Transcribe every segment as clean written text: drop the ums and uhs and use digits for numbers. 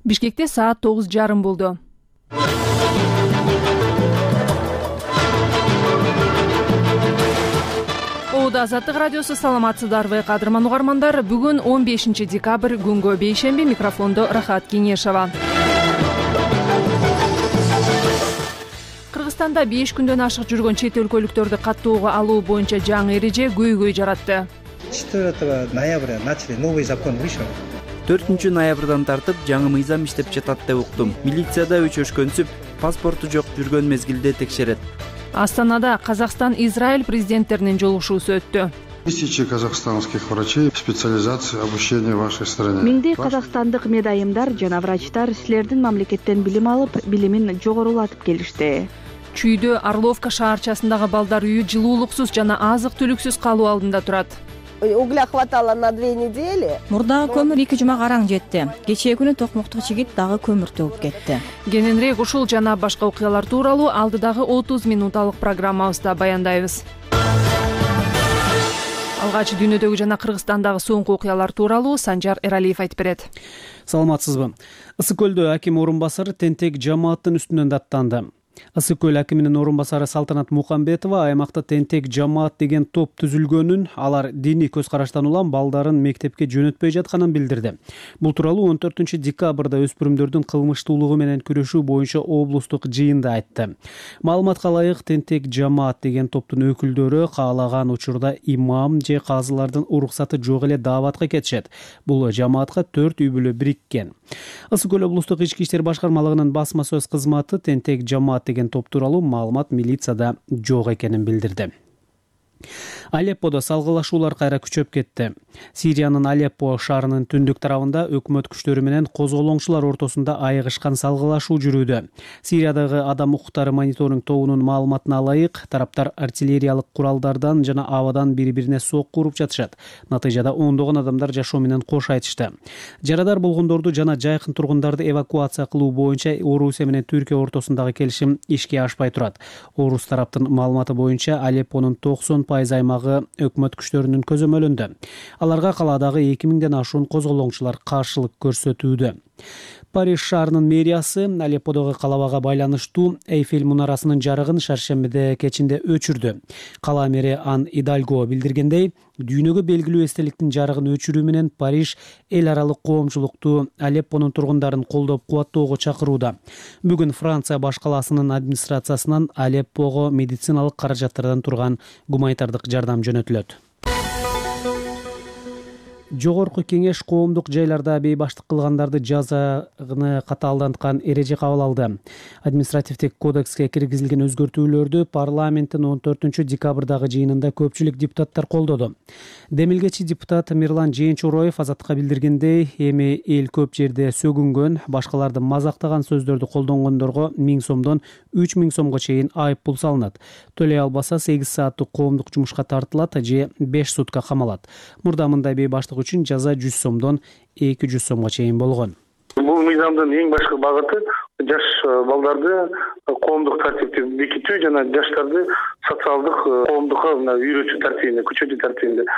Бишкекте саат 9:30 болду. Азаттык радиосу, саламатсыздарбы кадырман угармандар. Бүгүн 15 декабрь, күнгө бейшемби. Микрофондо Рахат Кеңешова. Кыргызстанда 5 күндөн ашык жүргөн чет өлкөлүктөрдү каттоого алуу боюнча жаңы эреже көйгөй жаратты. 4 ноября начали новый закон вышел. 4 ноябрдан тартып жаңы мыйзам иштеп жатат деп уктум. Милицияда өчөшкөнсүп, паспорту жок жүргөн мезгилде текшерет. Астанада Казакстан, Израиль президенттеринин жолугушуусу өттү. Тысячи казахстанских врачей, специализация обучения в вашей стране. Миңдей казакстандык медайымдар жана врачтар силердин мамлекеттен билим алып, билимин жогорулатып келишти. Чүйдө Орловка шаарчасындагы балдар үйү жылуулуксуз жана азык-түлүксүз калуу алдында турат. Угля хватало на 2 недели. Мурдагы көмүр 2 жума караң жетти. Кечээ күнү токмоктук жигит дагы көмүр төгүп кетти. Кененирээк ушул жана башка окуялар тууралуу алдыдагы 30 минуталык программабызда баяндайбыз. Алгач дүйнөдөгү жана Кыргызстандагы соңку окуялар тууралуу Санжар Эралиев айтып берет. Саламатсызбы? Ысык көлдө аким орун басары тентек жамааттын үстүнөн даттанды. Ысык көл акиминин орун басары Салтанат Мукамбетова аймакта тентек жамаат деген топ түзүлгөнүн, алар диний көз караштан улам балдарын мектепке жөнөтпөй жатканын билдирди. Бул тууралуу 14 декабрда өспүрүмдөрдүн кылмыштуулугу менен күрөшүү боюнча облустук жыйында айтты. Маалыматка ылайык, тентек жамаат деген топтун өкүлдөрү каалаган учурда имам же казылардын уруксаты жок эле дааватка кетишет. Бул жамаатка 4 үй бүлө бириккен. Ысык көл облустук ички иштер башкармалыгынын басма сөз кызматы тентек жамаат деген топ тууралуу маалымат милицияда жок экенин билдирди. Алепподо салгылашуулар кайра күчөп кетти. Сириянын Алеппо шаарынын түндүк тарабында өкмөт күчтөрү менен козголоңчулар ортосунда айыгышкан салгылашуу жүрүүдө. Сириядагы адам укуктары мониторинг тобунун маалыматына ылайык, тараптар артиллериялык куралдардан жана абадан бири-бирине сокку уруп жатышат. Натыйжада ондогон адамдар жашоо менен кош айтышты. Жарадар болгондорду жана жайкын тургундарды эвакуация кылуу боюнча Орусия менен Түркия ортосундагы келишим ишке ашпай турат. Орус тараптын маалыматы боюнча Алеппонун 90% аймагы өкмөт күчтөрүнүн көзөмөлүндө. Аларга калаадагы 2000ден ашуун козголоңчулар каршылык көрсөтүүдө. Париж шаарынын мэриясы Алепподогу калабага байланыштуу Эйфель мунарасынын жарыгын шаршембиде кечинде өчүрдү. Кала мэри Ан Идальго билдиргендей, дүйнөгө белгилүү эстеликтин жарыгын өчүрүү менен Париж эл аралык коомчулукту Алеппонун тургундарын колдоп кубаттоого чакырууда. Бүгүн Франция баш калаасынын администрациясынан Алеппого медициналык каражаттардан турган гуманитардык жардам жөнөтүлөт. Жогорку кеңеш коомдук жайларда бейбаштык кылгандарды жазаны катаалданткан эреже кабыл алды. Административдик кодекске киргизилген өзгөртүүлөрдү парламенттин 14 декабрдагы жыйынында көпчүлүк депутаттар колдоду. Демилгечи депутат Мирлан Жээнчуроев Азаттыкка билдиргендей, эми эл көп жерде сөгүнгөн, башкаларды мазактаган сөздөрдү колдонгондорго 1000 сомдон 3000 сомго чейин айып пул салынат. Төлөй албаса 8 сааттык коомдук жумушка тартылат же 5 сутка камалат. Мурда мындай бейбаштык үчүн жаза 100 сомдон 200 сомго чейин болгон. Бул мыйзамдын эң башкы багыты жаш балдарды коомдук тартипти бекитүү жана жаштарды социалдык коомдукка үйрөтүү тартибинде, күчөтүү тартибинде.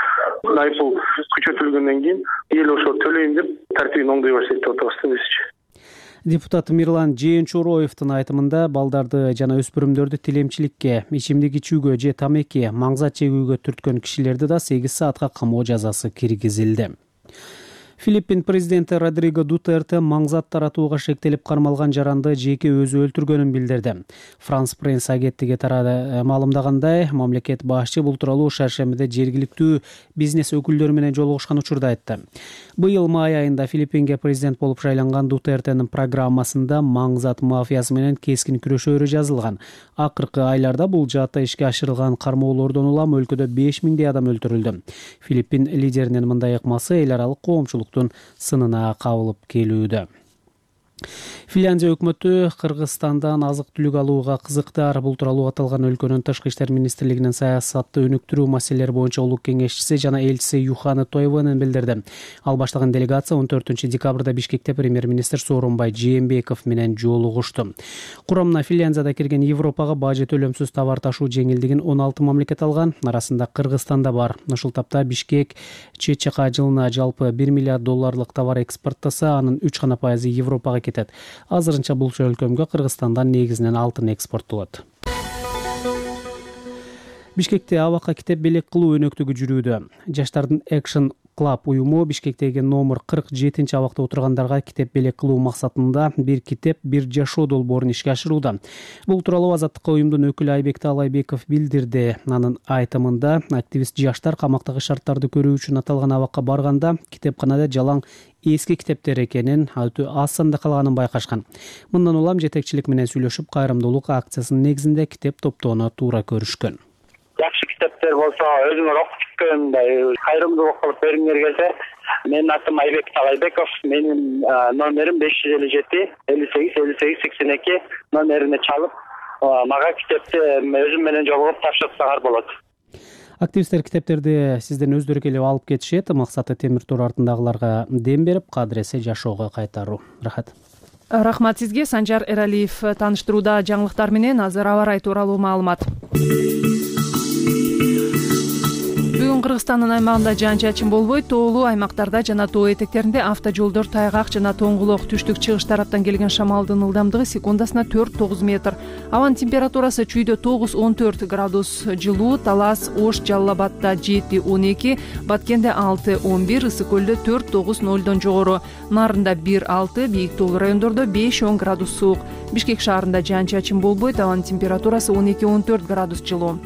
Айыппул күчөтүлгөндөн кийин эл ошо төлөйм деп тартибин оңдой баштайт деп атабыз бизче. Депутат Мирлан Жээнчуроевдин айтымында балдарды жана өспүрүмдөрдү тилемчиликке, ичимдик ичүүгө же тамеки, маңзат чегүүгө түрткөн кишилерди да 8 саатка камоо жазасы киргизилди. Филиппин президенти Родриго Дутерте маңзат таратууга шектелип кармалган жаранды жеке өзү өлтүргөнүн билдирди. Франс пресс агенттиги маалымдагандай, мамлекет башчы бул тууралуу шаршембиде жергиликтүү бизнес өкүлдөрү менен жолугушкан учурда айтты. Быйыл май айында Филиппинге президент болуп шайланган Дутертенин программасында маңзат мафиясы менен кескин күрөшөөрү жазылган. Акыркы айларда бул жаатта ишке ашырылган кармоолордон улам өлкөдө 5000 адам өлтүрүлдү. Филиппин лидеринин мындай ыкмасы эл аралык коомчулук сынына кабылып келүүдө. Финляндия өкмөтү Кыргызстандан азык-түлүк алууга кызыктар. Бул тууралуу аталган өлкөнүн Тышкы иштер министрлигинин саясатты өнүктүрүү маселелери боюнча улук кеңешчиси жана элчиси Юхана Тойвонен билдирди. Ал баштаган делегация 14 декабрда Бишкекте премьер-министр Сооронбай Жээнбеков менен жолугушту. Курамына Финляндияда кирген Европага бажы төлөмсүз товар ташуу жеңилдигин 16 мамлекет алган. Арасында Кыргызстан да бар. Ушул тапта Бишкек ЧЧК жылына жалпы $1 миллиард товар экспорттаса, анын 3% Европага кетет. Азырынча бул өлкөмгө Кыргызстандан негизинен алтын экспорттолот. Бишкекте абакка китеп белек кылуу өнөктүгү жүрүүдө. Жаштардын Action Club уюму Бишкектеги номер 47 абакта отургандарга китеп белек кылуу максатында бир китеп, бир жашоо долбоорун ишке ашырууда. Бул тууралуу Азаттыкка уюмдун өкүлү Айбек Таалайбеков билдирди. Анын айтымында активист жаштар камактагы шарттарды көрүү үчүн аталган абакка барганда китепканада жалаң эски китептер экенин, өтө аз санда калганын байкашкан. Мындан улам жетекчилик менен сүйлөшүп, кайрымдуулук акциясынын негизинде китеп топтоону туура көрүшкөн. Жакшы китептер болсо, өзүңөр окуп чыккан кайрымдуулук кылып бериңер келсе, менин атым Айбек Таалайбеков, менин номерим 557 58 58 82 номерине чалып, мага китепти өзүм менен жолугуп тапшырсаңар болот. Активисттер китептерди сизден өздөрү келип алып кетишет. Максаты темир тор артындагыларга дем берип, кадыресе жашоого кайтаруу. Рахат. Рахмат сизге. Санжар Эралиев тааныштырууда жаңылыктар менен. Азыр аба ырайы тууралуу маалымат. Бүгүн Кыргызстандын аймагында жаан-чачын болбойт. Тоолуу аймактарда жана тоо этектеринде автожолдор тайгак жана тоңгулок. Түштүк-чыгыш тараптан келген шамалдын ылдамдыгы секундасына 4-9 метр. Абанын температурасы чүйдө 9-14 градус жылуу, Талас, Ош, Жалал Абадда 7-12, Баткенде 6-11, Ысык көлдө 4-9-0 жогору, Нарында 1-6, бийик тоолуу райондордо 5-10 градус суук. Бишкек шаарында жаан-чачын болбойт. Абанын температурасы 12-14 градус жылуу.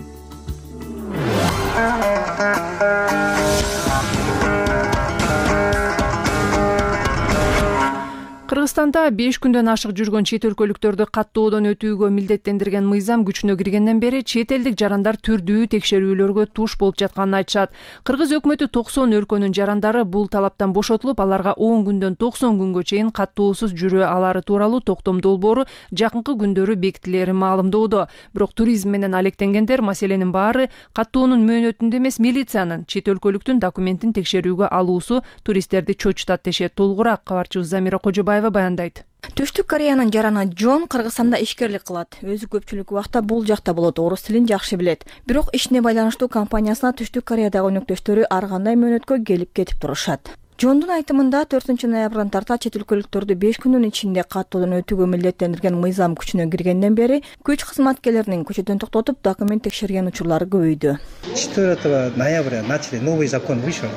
Кыргызстанда 5 күндөн ашык жүргөн чет өлкөлүктөрдү каттоодон өтүүгө милдеттендирген мыйзам күчүнө киргенден бери чет элдик жарандар түрдүү текшерүүлөргө туш болуп жатканын айтышат. Кыргыз өкмөтү 90 өлкөнүн жарандары бул талаптан бошотулуп, аларга 10 күндөн 90 күнгө чейин каттоосуз жүрө алары тууралуу токтом долбоору жакынкы күндөрү бекитилерин маалымдоодо. Бирок туризм менен алектенгендер маселенин баары каттоонун мөөнөтүндө эмес, милициянын чет өлкөлүктүн документин текшерүүгө алуусу туристтерди чочутат дешет. Толугураак кабарчыбыз Замира Кожобаева баяндайт. Түштүк Кореянын жараны Джон Кыргызстанда ишкерлик кылат. Өзү көпчүлүк убакта бул жакта болот, орус тилин жакшы билет. Бирок ишине байланыштуу компаниясына Түштүк Кореядагы өнөктөштөрү ар кандай мөөнөткө келип кетип турушат. Жондун айтымында 4 ноябрдан тарта чет өлкөлүктөрдү 5 күндүн ичинде каттоодон өтүүгө милдеттендирген мыйзам күчүнө киргенден бери күч кызматкерлеринин көчөдөн токтотуп документ текшерген учурлары көбөйдү. 4 ноября начали новый закон вышел.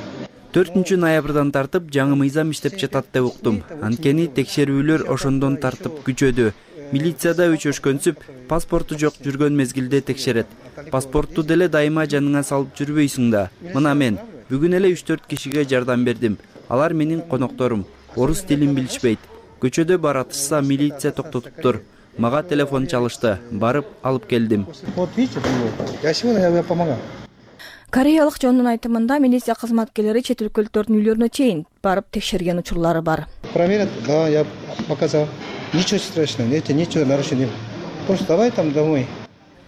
4 ноябрдан тартып жаңы мыйзам иштеп жатат деп уктум. Анткени текшерүүлөр ошондон тартып күчөдү. Милицияда өчөшкөнсүп, паспорту жок жүргөн мезгилде текшерет. Паспортту деле дайыма жаныңа салып жүрбөйсүң да. Мына мен бүгүн эле 3-4 кишиге жардам бердим. Алар менин конокторум. Орус тилин билишпейт. Көчөдө баратышса милиция токтотуптур. Мага телефон чалышты. Барып алып келдим. Вот видите, я сегодня помогал. Кореялык Жондун айтымында милиция кызматкерлери чет өлкөлүктөрдүн үйлөрүнө чейин барып текшерген учурлары бар. Проверят, да, я показал. Ничего страшного, это ничего нарушения. Просто давай там домой.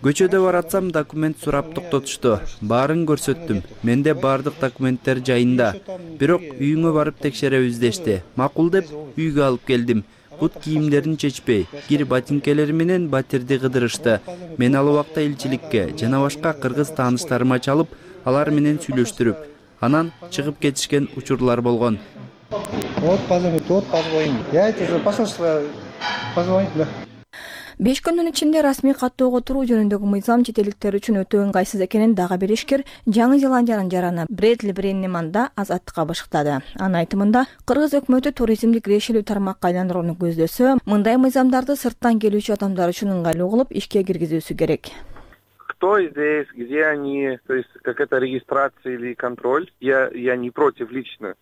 Көчөдө баратсам документ сурап токтотушту. Баарын көрсөттүм. Менде баардык документтер жайында. Бирок үйүңө барып текшеребиз дешти. Макул деп үйгө алып келдим. Бут кийимдерин чечпей, кир ботинкелери менен батирди кыдырышты. Мен ал убакта элчиликке жана башка кыргыз тааныштарыма чалып, алар менен сүйлөштүрүп, анан чыгып кетишкен учурлар болгон. Вот позвоним. Я это же посольство позвонить, да. 5 күндүн ичинде расмий каттоого туруу жөнүндөгү мыйзам чет элдиктер үчүн өтө ыңгайсыз экенин дагы бир ишкер Жаңы Зеландиянын жараны Брэдли Бреннеман да Азаттыкка бышыктады. Анын айтымында кыргыз өкмөтү туризмди кирешелүү тармакка айландырууну көздөсө, мындай мыйзамдарды сырттан келүүчү адамдар үчүн ыңгайлуу кылып ишке киргизүүсү керек. Кто здесь, где они, то есть как это регистрация или контроль, я не против лично.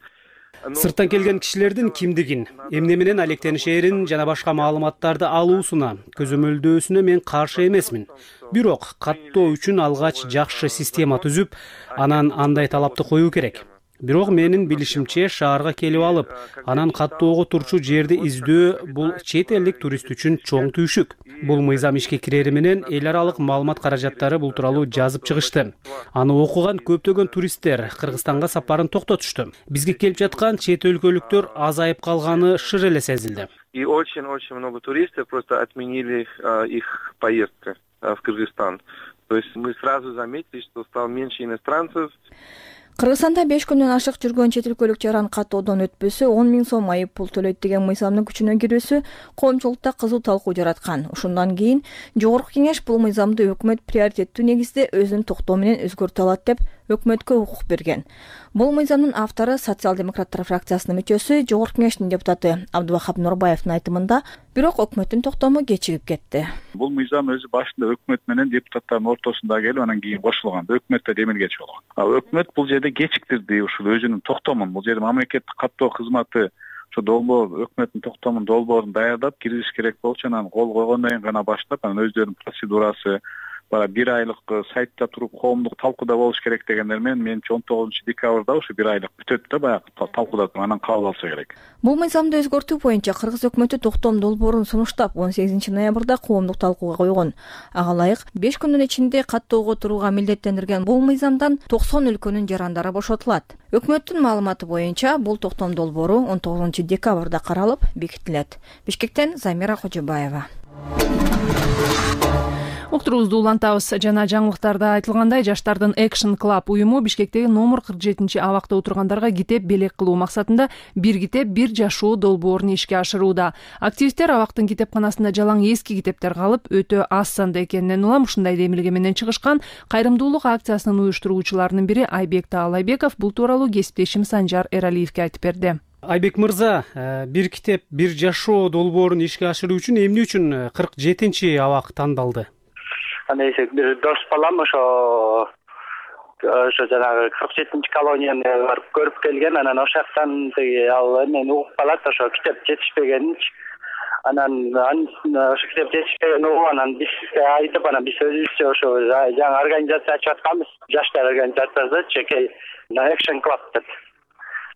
Сырттан келген кишилердин кимдигин, эмне менен алектенишерин жана башка маалыматтарды алуусуна, көзөмөлдөөсүнө мен каршы эмесмин. Бирок каттоо үчүн алгач жакшы система түзүп, анан андай талапты коюу керек. Бирок менин билишимче шаарга келип алып, анан каттоого турчу жерди издөө бул чет элдик турист үчүн чоң түйшүк. Бул мыйзам ишке кирери менен эл аралык маалымат каражаттары бул тууралуу жазып чыгышты. Аны окуган көптөгөн туристтер Кыргызстанга сапарын токтотушту. Бизге келип жаткан чет өлкөлүктөр азайып калганы шыр эле сезилди. И очень-очень много туристов просто отменили их поездки в Кыргызстан. То есть мы сразу заметили, что стало меньше иностранцев. Кыргызстанда 5 күндөн ашык жүргөн чет өлкөлүк жаран каттоодон өтпөсө 10 000 сом айып пул төлөйт деген мыйзамдын күчүнө кирүүсү коомчулукта кызуу талкуу жараткан. Ошондон кийин Жогорку Кеңеш бул мыйзамды өкмөт приоритеттүү негизде өзүнүн токтоо менен өзгөртө алат деп өкмөткө укук берген. Бул мыйзамдын автору социал-демократтар фракциясынын мүчөсү Жогорку Кеңештин депутаты Абдубахап Нурбаевдин айтымында, бирок өкмөттүн токтому кечигип кетти. Бул мыйзам өзү башында өкмөт менен депутаттардын ортосунда келип, анан кийин кошулган. Өкмөттө демилгечи болгон. Өкмөт бул жерде кечиктирди ушул өзүнүн токтомун. Бул жерде мамлекеттик каттоо кызматы ошо долбоор өкмөттүн токтомун долбоорун даярдап киргизиш керек болчу, анан кол койгондон кийин гана баштап, анан өздөрүнүн процедурасы бара 1 айлык сайтта туруп коомдук талкууда болуш керек дегендер менен менимче 19-декабрда ушу 1 айлык бүтөт да баягы талкууда анан кабыл алса керек. Бул мыйзамды өзгөртүү боюнча Кыргыз өкмөтү токтом долбоорун сунуштап 18-ноябрда коомдук талкууга койгон. Ага ылайык 5 күндүн ичинде каттоого турууга милдеттендирген бул мыйзамдан 90 өлкөнүн жарандары бошотулат. Өкмөттүн маалыматы боюнча бул токтом долбоору 19-декабрда каралып бекитилет. Бишкектен Замира Кожобаева. Уктуруубузду улантабыз. Жана жаңылыктарда айтылгандай, Жаштардын Action Club уюму Бишкектеги номер 47 абакта отургандарга китеп белек кылуу максатында бир китеп бир жашоо долбоорун ишке ашырууда. Активисттер абактын китепканасында жалаң эски китептер калып, өтө аз санда экенинен улам ушундай демилге менен чыгышкан кайрымдуулук акциясынын уюштуруучуларынын бири Айбек Таалайбеков бул тууралуу кесиптешим Санжар Эралиевге айтып берди. Айбек мырза, бир китеп бир жашоо долбоорун ишке ашыруу үчүн эмне үчүн 47 абак тандалды? Анысы бир дос балам ошо жанагы 47 колонияны барып көрүп келген, анан ошол жактан ал эмен угуп калат, ошо китеп жетишпегенинчи. Анан ошо китеп жетишпеген угуп, анан бизге айтып, анан биз өзүбүзчө ошо жаңы организация ачып атканбыз, жаштар организациясы чекей Action Club деп.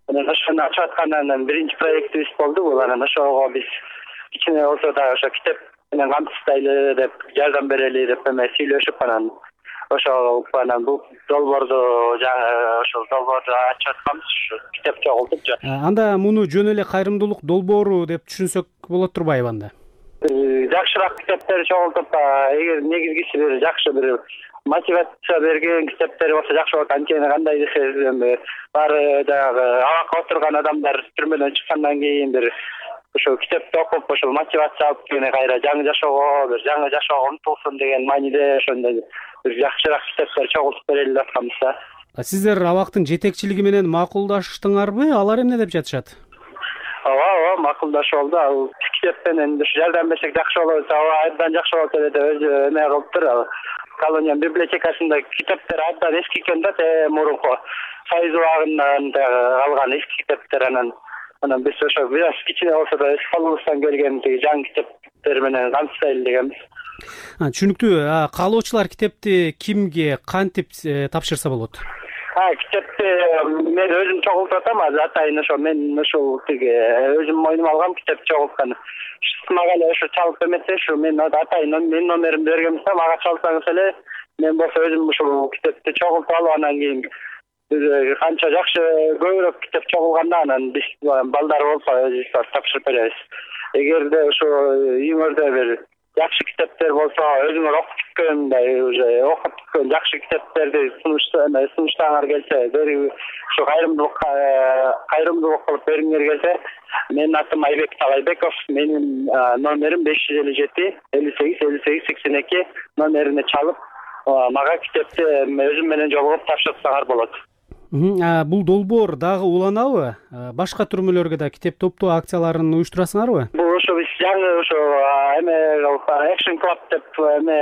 Анан ошону ачып аткандан биринчи проектибиз болду бул. Анан ошого биз кичине болсо да ошо китеп менен камсыздайлы деп, жардам берели деп сүйлөшүп, анан ошо анан бул долбоорду ошол долбоорду ачып атканбыз, китеп чогултуп. Анда муну жөн эле кайрымдуулук долбоору деп түшүнсөк болот турбайбы анда? Жакшыраак китептер чогултуп, эгер негизгиси бир жакшы бир мотивация берген китептер болсо жакшы болот. Анткени кандай десем, баары дагы абакка отурган адамдар түрмөдөн чыккандан кийин бир ошо китепти окуп, ошол мотивация алып кийин кайра жаңы жашоого умтулсун деген мааниде ошондой бир жакшыраак китептер чогултуп берели деп атканбыз да. Сиздер абактын жетекчилиги менен макулдаштыңарбы? Алар эмне деп жатышат? Ооба, макулдашып алды. Ал китеп менен жардам берсек жакшы болот, абдан жакшы болот деп өзү эме кылыптыр. Ал колония библиотекасында китептер абдан эски экен да, мурунку Союз убагынан калган эски китептер. Анан биз ошо бир кичине болсо да өз колубуздан келген жаңы китептер менен камсыздайлы дегенбиз. Түшүнүктүү. Каалоочулар китепти кимге, кантип тапшырса болот? Китепти мен өзүм чогултуп атам, атайын ошо мен ушул өзүм мойнума алгам китеп чогулткан. Мага эле ошо чалып эметсе, ушу мен атайын менин номеримди бергенбиз да, мага чалсаңыз эле мен болсо өзүм ушул китепти чогултуп алып, анан кийин канча жакшы көбүрөөк китеп чогулганда анан биз балдар болсо өзүбүз тапшырып беребиз. Эгерде ошо үйүңөрдө бир жакшы китептер болсо, өзүңөр окуп бүткөндөй уже окуп бүткөн жакшы китептерди сунуштаңар келсе, ошо кайрымдуулук кылып бергиңер келсе, менин атым Айбек Таалайбеков, менин номерим 557 58 58 82 номерине чалып, мага китепти өзүм менен жолугуп тапшырсаңар болот. Бул долбоор дагы уланабы? Башка түрмөлөргө да китеп топтоо акцияларын уюштурасыңарбы? Бул ошо биз жаңы ошо эме Action Club деп эме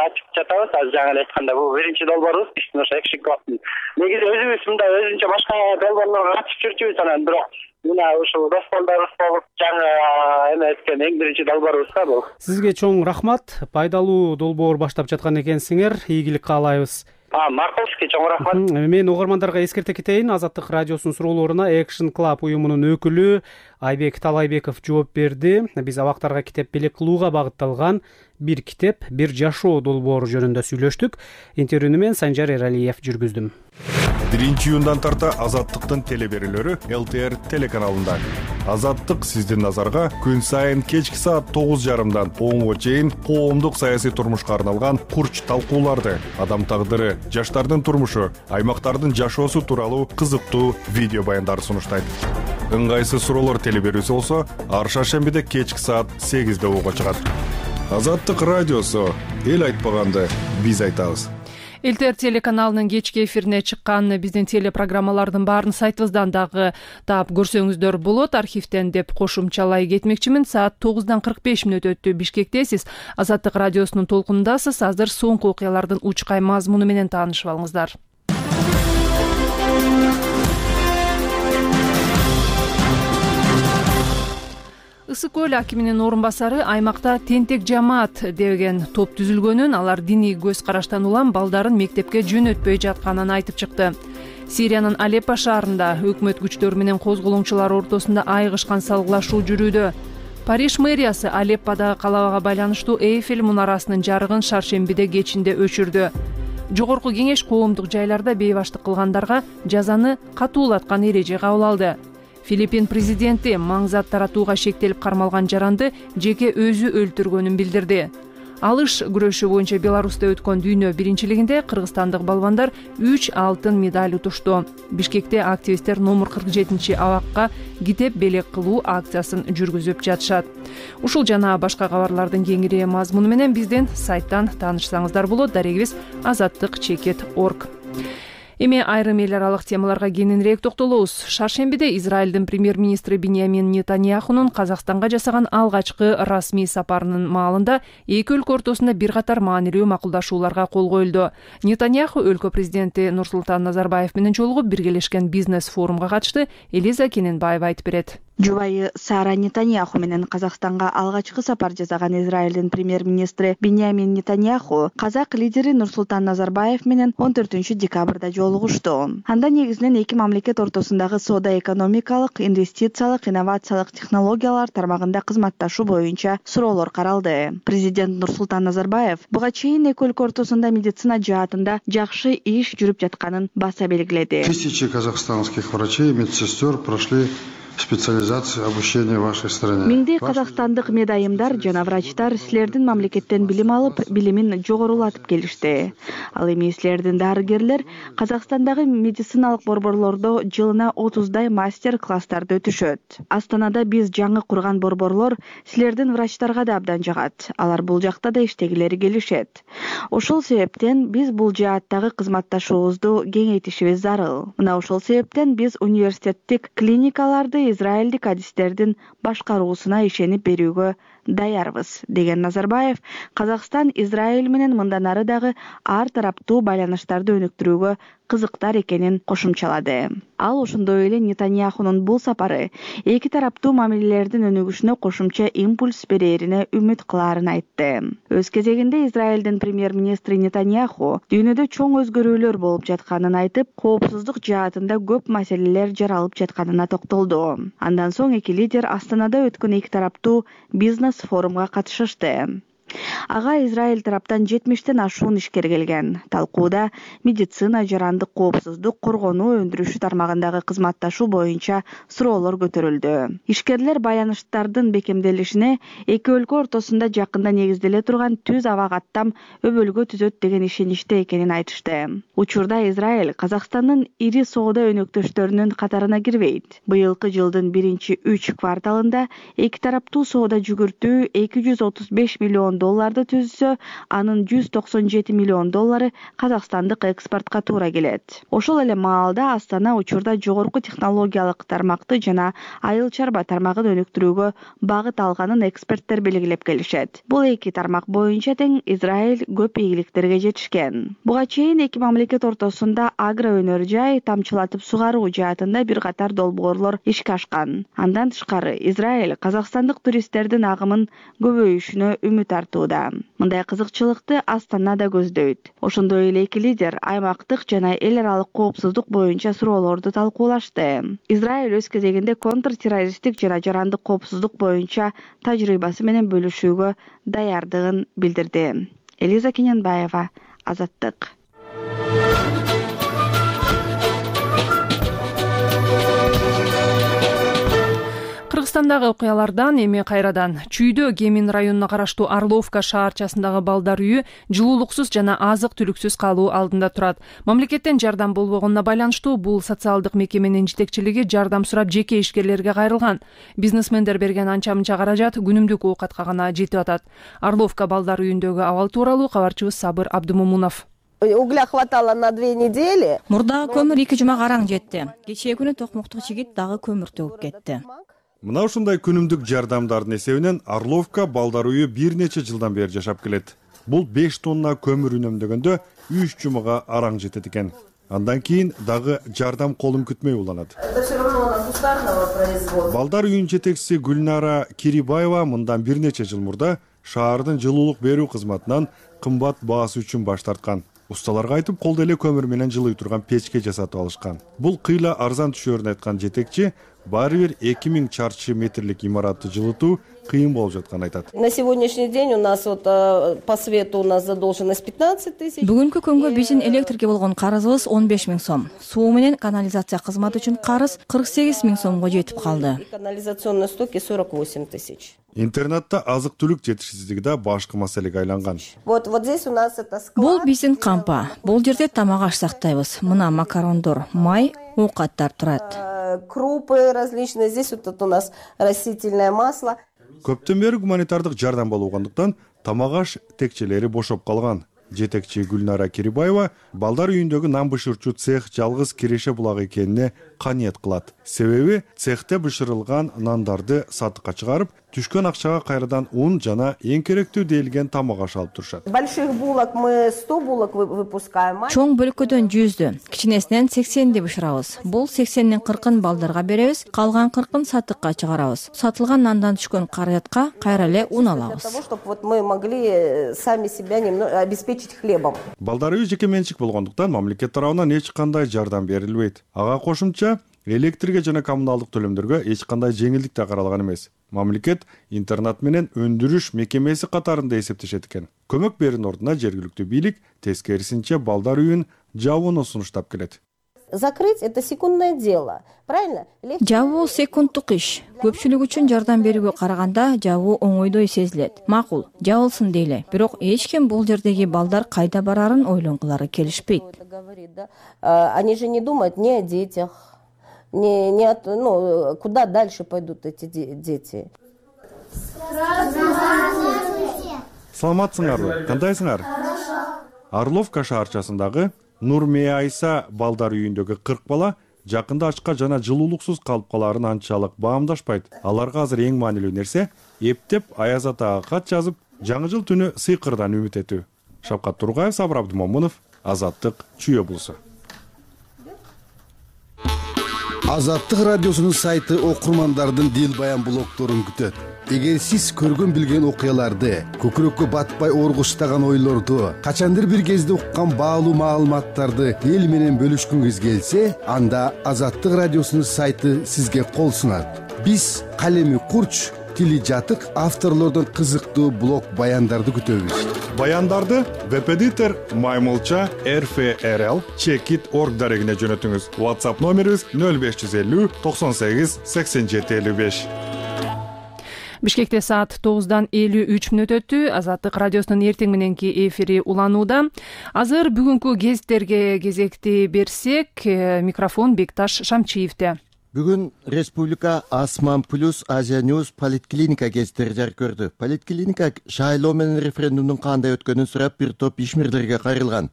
ачып жатабыз. Жаңы эле айтканда бул биринчи долбоорубуз биздин ошо Action Club. Негизи өзүбүз мындай өзүнчө башка долбоорлорго катышып жүрчүбүз, анан бирок мына ушул дос балдарыбыз болуп жаңы эме эткен эң биринчи долбоорубуз да бул. Сизге чоң рахмат. Пайдалуу долбоор баштап жаткан экенсиңер. Ийгилик каалайбыз. Марковский, чоң рахмат. Мен угармандарга эскерте кетейин, Азаттык радиосунун суроолоруна Action Club уюмунун өкүлү Айбек Талайбеков жооп берди. Биз абактарга китеп белек кылууга багытталган бир китеп, бир жашоо долбоору жөнүндө сүйлөштүк. Интервьюну мен Санжар Эралиев жүргүздүм. 1-июндан тарта Азаттыктын телеберүүлөрү ЛТР телеканалында. Азаттык сиздин назарга күн сайын кечки саат 9:30 10:00 чейин коомдук саясий турмушка арналган курч талкууларды, адам тагдыры, жаштардын турмушу, аймактардын жашоосу тууралуу кызыктуу видео баяндарды сунуштайт. Ыңгайсыз суроолор телеберүүсү болсо, ар шаршембиде кечки саат 8:00 угуга чыгат. Азаттык радиосу, эл айтпаганды биз айтабыз. ЛТР телеканалынын кечки эфирине чыккан биздин телепрограммалардын баарын сайтыбыздан дагы таап көрсөңүздөр болот. Архивден деп кошумчалай кетмекчимин. Саат 9:45 өттү. Бишкектесиз. Азаттык радиосунун толкунундасыз. Азыр соңку окуялардын учкай мазмуну менен таанышып алыңыздар. Ысык көл акиминин орун басары аймакта тентек жамаат деген топ түзүлгөнүн, алар диний көз караштан улам балдарын мектепке жөнөтпөй жатканын айтып чыкты. Сириянын Алеппо шаарында өкмөт күчтөрү менен козголоңчулар ортосунда айыгышкан салгылашуу жүрүүдө. Париж мэриясы Алепподагы калабага байланыштуу Эйфель мунарасынын жарыгын шаршембиде кечинде өчүрдү. Жогорку кеңеш коомдук жайларда бейбаштык кылгандарга жазаны катуулаткан эреже кабыл алды. Филиппин президенти маң зат таратууга шектелип кармалган жаранды жеке өзү өлтүргөнүн билдирди. Алыш күрөшү боюнча Беларусьта өткөн дүйнө биринчилигинде кыргызстандык балбандар 3 алтын медаль утушту. Бишкекте активисттер номер 47-абакка китеп белек кылуу акциясын жүргүзүп жатышат. Ушул жана башка кабарлардын кеңири мазмуну менен биздин сайттан таанышсаңыздар болот. Дарегибиз azattik.org. Эми айрым эл аралык темаларга кененирээк токтолобуз. Шаршембиде Израилдин премьер-министри Биньямин Нетаньяхунун Казакстанга жасаган алгачкы расмий сапарынын маалында эки өлкө ортосунда бир катар маанилүү макулдашууларга кол коюлду. Нетаньяху өлкө президенти Нурсултан Назарбаев менен жолугуп биргелешкен бизнес форумга катышты. Элиза Кененбаева айтып берет. Жубайы Сара Нетаньяху менен Казакстанга алгачкы сапар жасаган Израилдин премьер-министри Биньямин Нетаньяху казак лидери Нурсултан Назарбаев менен 14-декабрда жолугушту. Анда негизинен эки мамлекет ортосундагы соода-экономикалык, инвестициялык, инновациялык технологиялар тармагында кызматташуу боюнча суроолор каралды. Президент Нурсултан Назарбаев буга чейин эки өлкө ортосунда медицина жаатында жакшы иш жүрүп жатканын баса белгиледи. Тысячи казахстанских врачей и медсестер прошли специализация обучения в вашей стране. Миңдей казакстандык медайымдар жана врачтар силердин мамлекеттен билим алып, билимин жогорулатып келишти. Ал эми силердин дарыгерлер Казакстандагы медициналык борборлордо жылына 30дай мастер-класстарды өтүшөт. Астанада биз жаңы курган борборлор силердин врачтарга да абдан жагат. Алар бул жакта да иштегилери келишет. Ошол себептен биз бул жааттагы кызматташуубузду кеңейтишибиз зарыл. Мына ошол себептен биз университеттик клиникаларды израилдик адистердин башкаруусуна ишенип берүүгө даярбыз, деген Назарбаев Казакстан Израиль менен мындан ары дагы ар тараптуу байланыштарды өнүктүрүүгө кызыктар экенин кошумчалады. Ал ошондой эле Нетаньяхунун бул сапары эки тараптуу мамилелердин өнүгүшүнө кошумча импульс берерине үмүт кылаарын айтты. Өз кезегинде Израилдин премьер-министри Нетаньяху дүйнөдө чоң өзгөрүүлөр болуп жатканын айтып, коопсуздук жаатында көп маселелер жаралып жатканына токтолду. Андан соң эки лидер Астанада өткөн эки тараптуу бизнес форумга катышышты. Ага Израиль тараптан 70тен ашуун ишкер келген. Талкууда медицина, жарандык коопсуздук, коргонуу өндүрүшү тармагындагы кызматташуу боюнча суроолор көтөрүлдү. Ишкерлер баяныштардын бекемделишине эки өлкө ортосунда жакында негизделе турган түз аба каттам өбөлгө түзөт деген ишеничте экенин айтышты. Учурда Израиль Казакстандын ири соода өнөктөштөрүнүн катарына кирбейт. Быйылкы жылдын 1-3 кварталында эки тараптуу соода жүгүртүү $235 миллион түзсө, анын $197 миллион казакстандык экспортко туура келет. Ошол эле маалда Астана учурда жогорку технологиялык тармакты жана айыл чарба тармагын өнүктүрүүгө багыт алганын эксперттер белгилеп келишет. Бул эки тармак боюнча тең Израиль көп ийгиликтерге жетишкен. Буга чейин эки мамлекет ортосунда агро өнөр жай, тамчылатып сугаруу жаатында бир катар долбоорлор ишке ашкан. Андан тышкары Израиль казакстандык туристтердин агымын көбөйүшүнө үмүт артып тартууда. Мындай кызыкчылыкты Астана да көздөйт. Ошондой эле эки лидер аймактык жана эл аралык коопсуздук боюнча суроолорду талкуулашты. Израиль өз кезегинде контртеррористтик жана жарандык коопсуздук боюнча тажрыйбасы менен бөлүшүүгө даярдыгын билдирди. Элиза Кененбаева, Азаттык. Кыргызстандагы окуялардан эми кайрадан. Чүйдө Кемин районуна караштуу Орловка шаарчасындагы балдар үйү жылуулуксуз жана азык-түлүксүз калуу алдында турат. Мамлекеттен жардам болбогонуна байланыштуу бул социалдык мекеменин жетекчилиги жардам сурап жеке ишкерлерге кайрылган. Бизнесмендер берген анча-мынча каражат күнүмдүк оокатка гана жетип атат. Орловка балдар үйүндөгү абал тууралуу кабарчыбыз Сабыр Абдумомунов. Угля хватало на 2 недели. Мурдагы көмүр 2 жумага араң жетти. Кечээ күнү токмоктук жигит дагы көмүр төгүп кетти. Мына ушундай күнүмдүк жардамдардын эсебинен Орловка балдар үйү бир нече жылдан бери жашап келет. Бул 5 тонна көмүр үнөмдөгөндө 3 жумага араң жетет экен. Андан кийин дагы жардам колун күтмөй уланат. Балдар үйүнүн жетекчиси Гүлнара Кирибаева мындан бир нече жыл мурда шаардын жылуулук берүү кызматынан кымбат баасы үчүн баш тарткан. Усталарга айтып, колдо эле көмүр менен жылый турган печке жасатып алышкан. Бул кыйла арзан түшөрүн айткан жетекчи баары бир 2000 чарчы метрлик имаратты жылытуу кыйын болуп жатканын айтат. На сегодняшний день у нас по свету у нас задолженность 15 тысяч. Бүгүнкү күнгө биздин электрге болгон карызыбыз 15 000 сом. Суу менен канализация кызматы үчүн карыз 48 000 сомго жетип калды. Канализационные стоки 48 тысяч. Интернетте азык-түлүк жетишсиздиги да башкы маселеге айланган. Вот здесь у нас это склад. Бул биздин кампа. Бул жерде тамак аш сактайбыз. Мына макарондор, май, оокаттар турат. Крупы различные. Здесь вот у нас растительное масло. Көптөн бери гуманитардык жардам болгондуктан тамак аш текчелери бошоп калган. Жетекчи Гүлнара Кирибаева балдар үйүндөгү нан бышырчу цех жалгыз киреше булагы экенине каниет кылат. Себеби цехте бышырылган нандарды сатыкка чыгарып, түшкөн акчага кайрадан ун жана эң керектүү делген тамак аш алып турушат. Больших булок мы 100 булок выпускаем. Чоң бөлүкөдөн 100дү, кичинесинен 80ди бышырабыз. Бул 80дин 40ын балдарга беребиз, калган 40ын сатыкка чыгарабыз. Сатылган нандан түшкөн каражатка кайра эле ун алабыз. Для того, чтобы вот мы могли сами себя немного обеспечить хлебом. Балдар үйү жеке менчик болгондуктан мамлекет тарабынан эч кандай жардам берилбейт. Ага кошумча электрге жана коммуналдык төлөмдөргө эч кандай жеңилдик да каралган эмес. Мамлекет интернат менен өндүрүш мекемеси катарында эсептешет экен. Көмөк берүүнүн ордуна жергиликтүү бийлик тескерисинче балдар үйүн жабууну сунуштап келет. Закрыть это секундное дело. Правильно? Жабуу секундтук иш. Көпчүлүк үчүн жардам берүүгө караганда жабуу оңойдой сезилет. Макул, жабылсын дейле. Бирок эч ким бул жердеги балдар кайда барарын ойлонгулары келишпейт. Они же не думают ни о детях, куда дальше пойдут эти дети. Саламатсыңарбы? Кандайсыңар? Орловка шаарчасындагы Нурмия Айса балдар үйүндөгү 40 бала жакында ачка жана жылуулуксуз калып калаарын анчалык баамдашпайт. Аларга азыр эң маанилүү нерсе эптеп Аяз атага кат жазып, жаңы жыл түнү сыйкырдан үмүт этүү. Шапкат Тургаев, Сабыр Абдумомунов, Азаттык, Чүйө булусу. Азаттык радиосунун сайты окурмандардын дил баян блогторун күтөт. Эгер сиз көргөн билген окуяларды, көкүрөккө батпай оргуштаган ойлорду, качандыр бир кезде уккан баалуу маалыматтарды эл менен бөлүшкүңүз келсе, анда Азаттык радиосунун сайты сизге кол сунат. Биз калеми курч, тили жатык авторлордон кызыктуу блог баяндарды күтөбүз. Баяндарды веб-эдитор Маймылча RFRL Checkit.org дарегине жөнөтүңүз. WhatsApp номерибиз 0550 98 87 55. Бишкекте саат 9-дан 53 мүнөт өттү. Азаттык радиосунун эртең мененки эфири уланууда. Азыр бүгүнкү гезиттерге кезекти берсек, микрофон Бекташ Шамчиевде. Бүгүн Республика Асман плюс Азия Ньюс политклиника гезиттери жарык көрдү. Политклиника шайлоо менен референдумдун кандай өткөнүн сурап бир топ ишмерлерге кайрылган.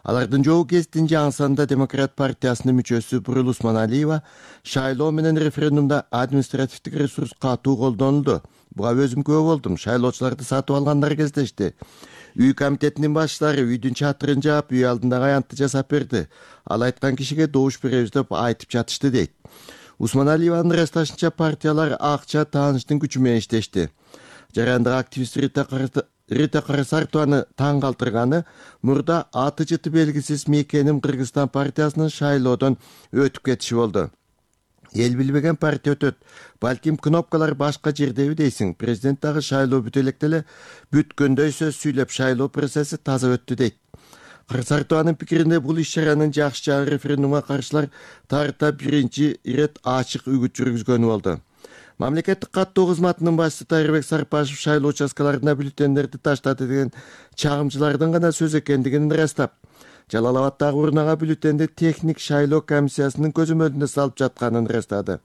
Алардын жогу гезиттин жаңы санында Демократ партиясынын мүчөсү Бурул Усманалиева шайлоо менен референдумда административдик ресурс катуу колдонулду. Буга өзүм күбө болдум. Шайлоочуларды сатып алгандар кездешти. Үй комитетинин башчылары үйдүн чатырын жаап, үй алдындагы аянтты жасап берди. Ал айткан кишиге добуш беребиз деп айтып жатышты дейт. Усманалиеванын ырасташынча партиялар акча тааныштын күчү менен иштешти. Жарандык активисттер Рита Карасартованы таң калтырганы мурда аты жыты белгисиз Мекеним Кыргызстан партиясынын шайлоодон өтүп кетиши болду. Эл билбеген партия өтөт. Балким кнопкалар башка жердеби дейсиң. Президент дагы шайлоо бүтө электе эле бүткөндөй сөз сүйлөп шайлоо процесси таза өттү дейт. Карасартованын пикиринде бул иш-чаранын жакшы жагы референдумга каршылар тарта биринчи ирет ачык үгүт жүргүзгөнү болду. Мамлекеттик каттоо кызматынын башчысы Тайырбек Сарпашев шайлоо участкаларына бюллетендерди таштады деген чагымчылардын гана сөз экендигин ырастап, Жалал Абаддагы урнага бюллетенди техник шайлоо комиссиясынын көзөмөлүндө салып жатканын ырастады.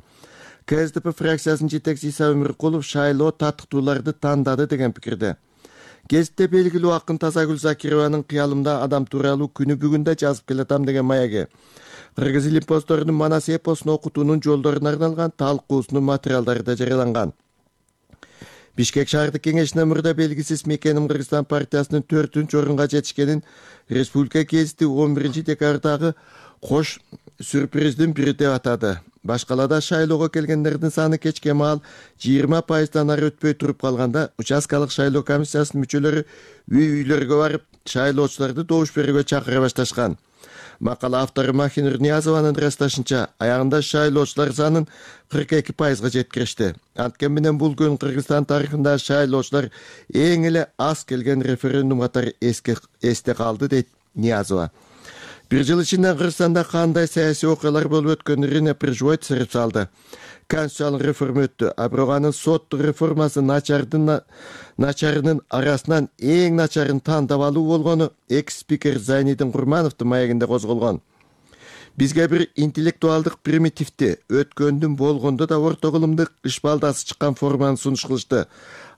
КСДП фракциясынын жетекчиси Иса Өмүркулов шайлоо татыктууларды тандады деген пикирде. Гезитте белгилүү акын Тазагүл Закированын кыялымда адам тууралуу күнү бүгүн да жазып келатам деген маяги. Кыргыз ил импосторунун Манас эпосун окутуунун жолдоруна арналган талкуусунун материалдары да жарыяланган. Бишкек шаардык кеңешинин мурда белгисиз Мекеним Кыргызстан партиясынын 4-орунга жетишкенин республика гезити 11-декабрдагы кош сюрприздин бири деп атады. Башкалада шайлоого келгендердин саны кечке маал 20%-дан ары өтпөй туруп калганда участкалык шайлоо комиссиясынын мүчөлөрү үй-үйлөргө барып шайлоочуларды добуш берүүгө чакыра башташкан. Макала автору Махинур Ниязованын ырасташынча, аягында шайлоочулар санын 42%га жеткиришти. Анткени менен бул күн Кыргызстан тарыхында шайлоочулар эң эле аз келген референдум катары эсте калды, дейт Ниязова. Бир жыл ичинде Кыргызстанда кандай саясий окуялар болуп өткөнүн Прижвой түсүрүп салды. Конституциялык реформа өттү. А бирок анын соттук реформасы начарынын арасынан эң начарын тандап алуу болгону экс-спикер Зайнидин Курмановдун маегинде козголгон. Бизге бир интеллектуалдык примитивди, өткөндүн болгондо да орто кылымдык ишбалдасы чыккан форманы сунуш кылышты.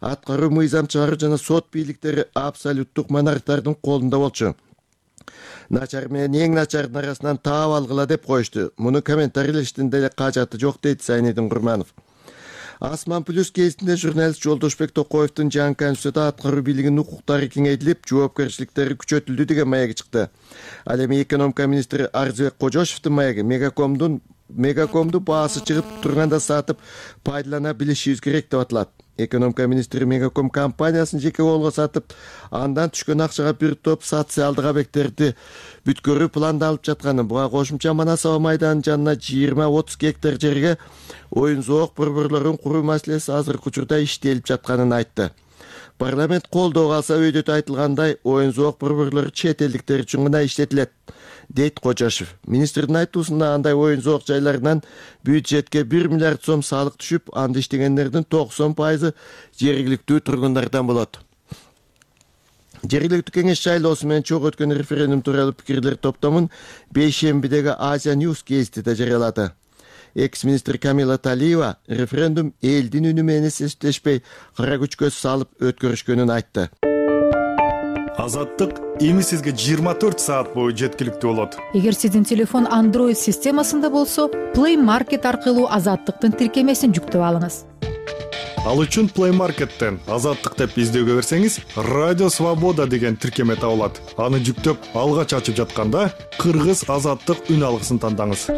Аткаруу, мыйзам чыгаруу жана сот бийликтери абсолюттук монархтардын колунда болчу. Начар менен эң начардын арасынан таап алгыла деп коюшту. Муну комментарийлештин деле кажаты жок, дейт Зайнидин Курманов. Асман плюс кезинде журналист Жолдошбек Токоевдун жаңы конституцияда аткаруу бийлигинин укуктары кеңейтилип, жоопкерчиликтери күчөтүлдү деген маеги чыкты. Ал эми экономика министри Арзыбек Кожошевдун маеги мегакомду баасы чыгып турганда сатып пайдалана билишибиз керек деп аталат. Экономика министри Мегаком компаниясын жеке колго сатып, андан түшкөн акчага бир топ социалдык объекттерди бүткөрүү пландалып жатканын, буга кошумча Манас аба майданынын жанына 20-30 гектар жерге оюн зоок борборлорун куруу маселеси азыркы учурда иштелип жатканын айтты. Парламент колдоо алса өйдөтө айтылгандай, оюн зоок борборлору чет элдиктер үчүн гана иштетилет, дейт Кожошев. Министрдин айтуусунда андай оюн зоок жайларынан бюджетке 1 миллиард сом салык түшүп, анда иштегендердин 90% жергиликтүү тургундардан болот. Жергиликтүү кеңеш шайлоосу менен чогуу өткөн референдум тууралуу пикирлер топтомун бейшембидеги Азия News гезитиде жарыялады. Экс-министр Камила Талиева референдум элдин үнү менен эстештешпей кара күчкө салып өткөрүшкөнүн айтты. Азаттык эми сизге 24 саат бою жеткиликтүү болот. Эгер сиздин телефон Android системасында болсо, Play Market аркылуу Азаттыктын тиркемесин жүктөп алыңыз. Ал үчүн Play Market'тен Азаттык деп издөөгө берсеңиз, Радио Свобода деген тиркеме табылат. Аны жүктөп, алгач ачып жатканда Кыргыз Азаттык үн алгысын тандаңыз.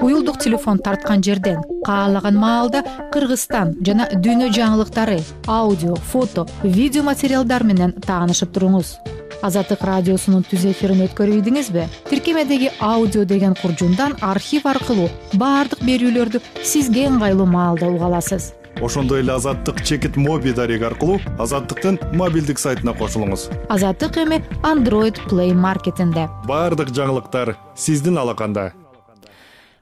Уюлдук телефон тарткан жерден каалаган маалда Кыргызстан жана дүйнө жаңылыктары, аудио, фото, видео материалдар менен таанышып туруңуз. Азаттык радиосунун түз эфирин өткөрүбүдүңүзбү? Тиркемедеги аудио деген куржундан архив аркылуу баардык берүүлөрдү сизге ыңгайлуу маалда уга аласыз. Ошондой эле Азаттык чекит моби дареги аркылуу Азаттыктын мобилдик сайтына кошулуңуз. Азаттык эми Android Play Market'инде. Баардык жаңылыктар сиздин алаканда.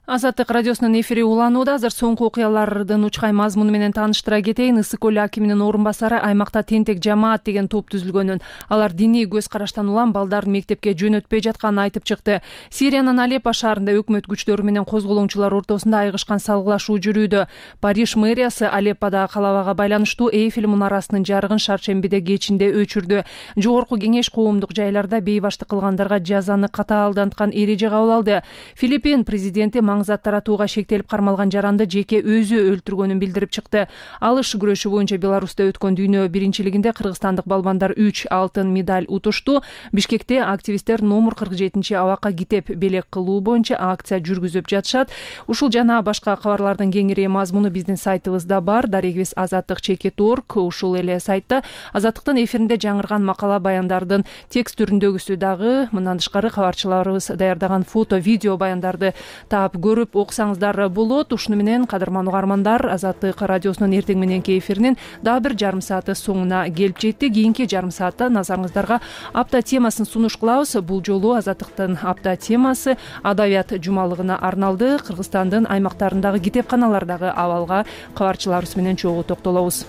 Азаттык радиосунун эфири уланууда. Азыр соңку окуялардын учкай мазмуну менен тааныштыра кетейин. Ысык көл акиминин орун басары аймакта тентек жамаат деген топ түзүлгөнүн, алар диний көз караштан улам балдарын мектепке жөнөтпөй жатканын айтып чыкты. Сириянын Алеппо шаарында өкмөт күчтөрү менен козголоңчулар ортосунда айгышкан салгылашуу жүрүүдө. Париж мэриясы Алепподагы калабага байланыштуу Эйфель мунарасынын жарыгын шаршембиде кечинде өчүрдү. Жогорку кеңеш коомдук жайларда бейбаштык кылгандарга жазаны катаалданткан эреже кабыл алды. Филиппин президенти маңзат таратууга шектелип кармалган жаранды жеке өзү өлтүргөнүн билдирип чыкты. Алыш күрөшү боюнча Беларуста өткөн дүйнө биринчилигинде кыргызстандык балбандар 3 алтын медаль утушту. Бишкекте активисттер номер 47-абакка китеп белек кылуу боюнча акция жүргүзүп жатышат. Ушул жана башка кабарлардын кеңири мазмуну биздин сайтыбызда бар. Дарегибиз azattik.org. Ушул эле сайтта Азаттыктын эфиринде жаңырган макала баяндардын текст түрүндөгүсү дагы, мындан тышкары кабарчыларыбыз даярдаган фото, видео баяндарды таап көрүп окусаңыздар болот. Ушуну менен кадырман угармандар, Азаттык радиосунун эртең мененки эфиринин дагы бир жарым сааты соңуна келип жетти. Кийинки жарым саатта назарыңыздарга апта темасын сунуш кылабыз. Бул жолу Азаттыктын апта темасы адабият жумалыгына арналды. Кыргызстандын аймактарындагы китепканалардагы абалга кабарчыларыбыз менен чогуу токтолобуз.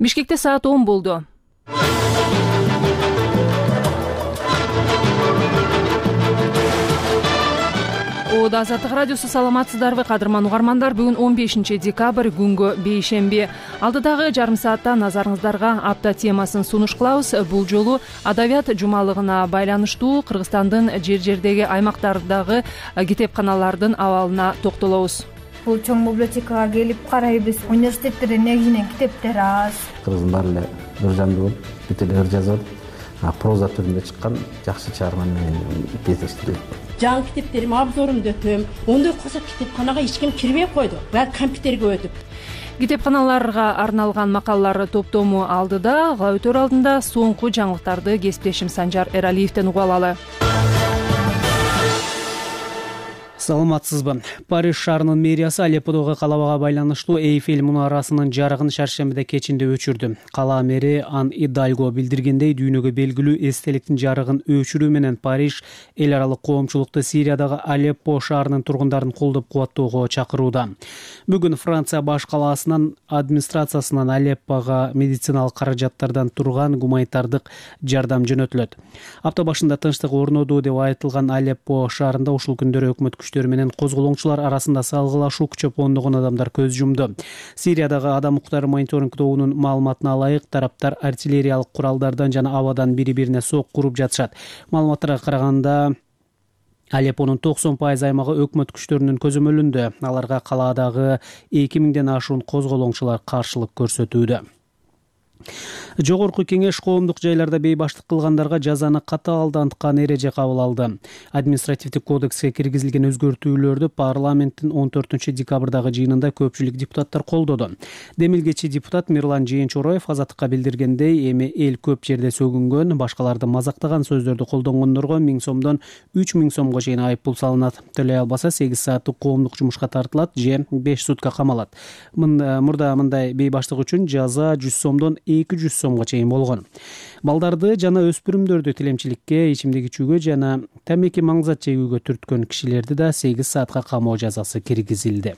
Бишкекте саат 10 болду. Азаттык радиосу, саламатсыздарбы кадырман угармандар? Бүгүн 15 декабрь, күнгө бейшемби. Алдыдагы жарым саатта назарыңыздарга апта темасын сунуш кылабыз. Бул жолу адабият жумалыгына байланыштуу Кыргызстандын жер-жердеги аймактардагы китепканалардын абалына токтолобуз. Бул чоң библиотекага келип карайбыз. Университеттерде негизинен китептер аз. Кыргыздын баары эле ыр жандуу болуп, бүт эле ыр жазып, проза түрүндө чыккан жакшы чыгарма менен кездештирилет. Жаңы китептерим обзорумду өтөм. Ондой кылса китепканага эч ким кирбей койду. Баары компьютерге өтүп. Китепканаларга арналган макалалар топтому алдыда, өтөр алдында соңку жаңылыктарды кесиптешим Санжар Эралиевден угуп алалы. Саламатсызбы? Париж шаарынын мэриясы Алепподогу калабага байланыштуу Эйфель мунарасынын жарыгын шаршембиде кечинде өчүрдү. Кала мэри Ан Идальго билдиргендей, дүйнөгө белгилүү эстеликтин жарыгын өчүрүү менен Париж эл аралык коомчулукту Сириядагы Алеппо шаарынын тургундарын колдоп кубаттоого чакырууда. Бүгүн Франция баш калаасынын администрациясынан Алеппого медициналык каражаттардан турган гуманитардык жардам жөнөтүлөт. Апта башында тынчтык орноду деп айтылган Алеппо шаарында ушул күндөрү өкмөт күчтөрү менен козголоңчулар арасында салгылашуу күчөп, ондогон адамдар көз жумду. Сириядагы адам укуктары мониторинг тобунун маалыматына ылайык, тараптар артиллериялык куралдардан жана абадан бири-бирине сок куруп жатышат. Маалыматтарга караганда, Алеппонун 90% аймагы өкмөт күчтөрүнүн көзөмөлүндө. Аларга калаадагы 2000ден ашуун козголоңчулар каршылык көрсөтүүдө. Жогорку кеңеш коомдук жайларда бейбаштык кылгандарга жазаны катаалданткан эреже кабыл алды. Административдик кодекске киргизилген өзгөртүүлөрдү парламенттин 14 декабрдагы жыйынында көпчүлүк депутаттар колдоду. Демилгечи депутат Мирлан Жээнчороев Азаттыкка билдиргендей, эми эл көп жерде сөгүнгөн, башкаларды мазактаган сөздөрдү колдонгондорго 1000 сомдон 3000 сомго чейин айыппул салынат. Төлөй албаса 8 сааттык коомдук жумушка тартылат же 5 сутка камалат. Мурда мындай бейбаштык үчүн жаза 100 сомдон 200 сомго чейин болгон. Балдарды жана өспүрүмдөрдү тилемчиликке, ичимдик ичүүгө жана тамеки маңзат жегүүгө түрткөн кишилерди да 8 саатка камоо жазасы киргизилди.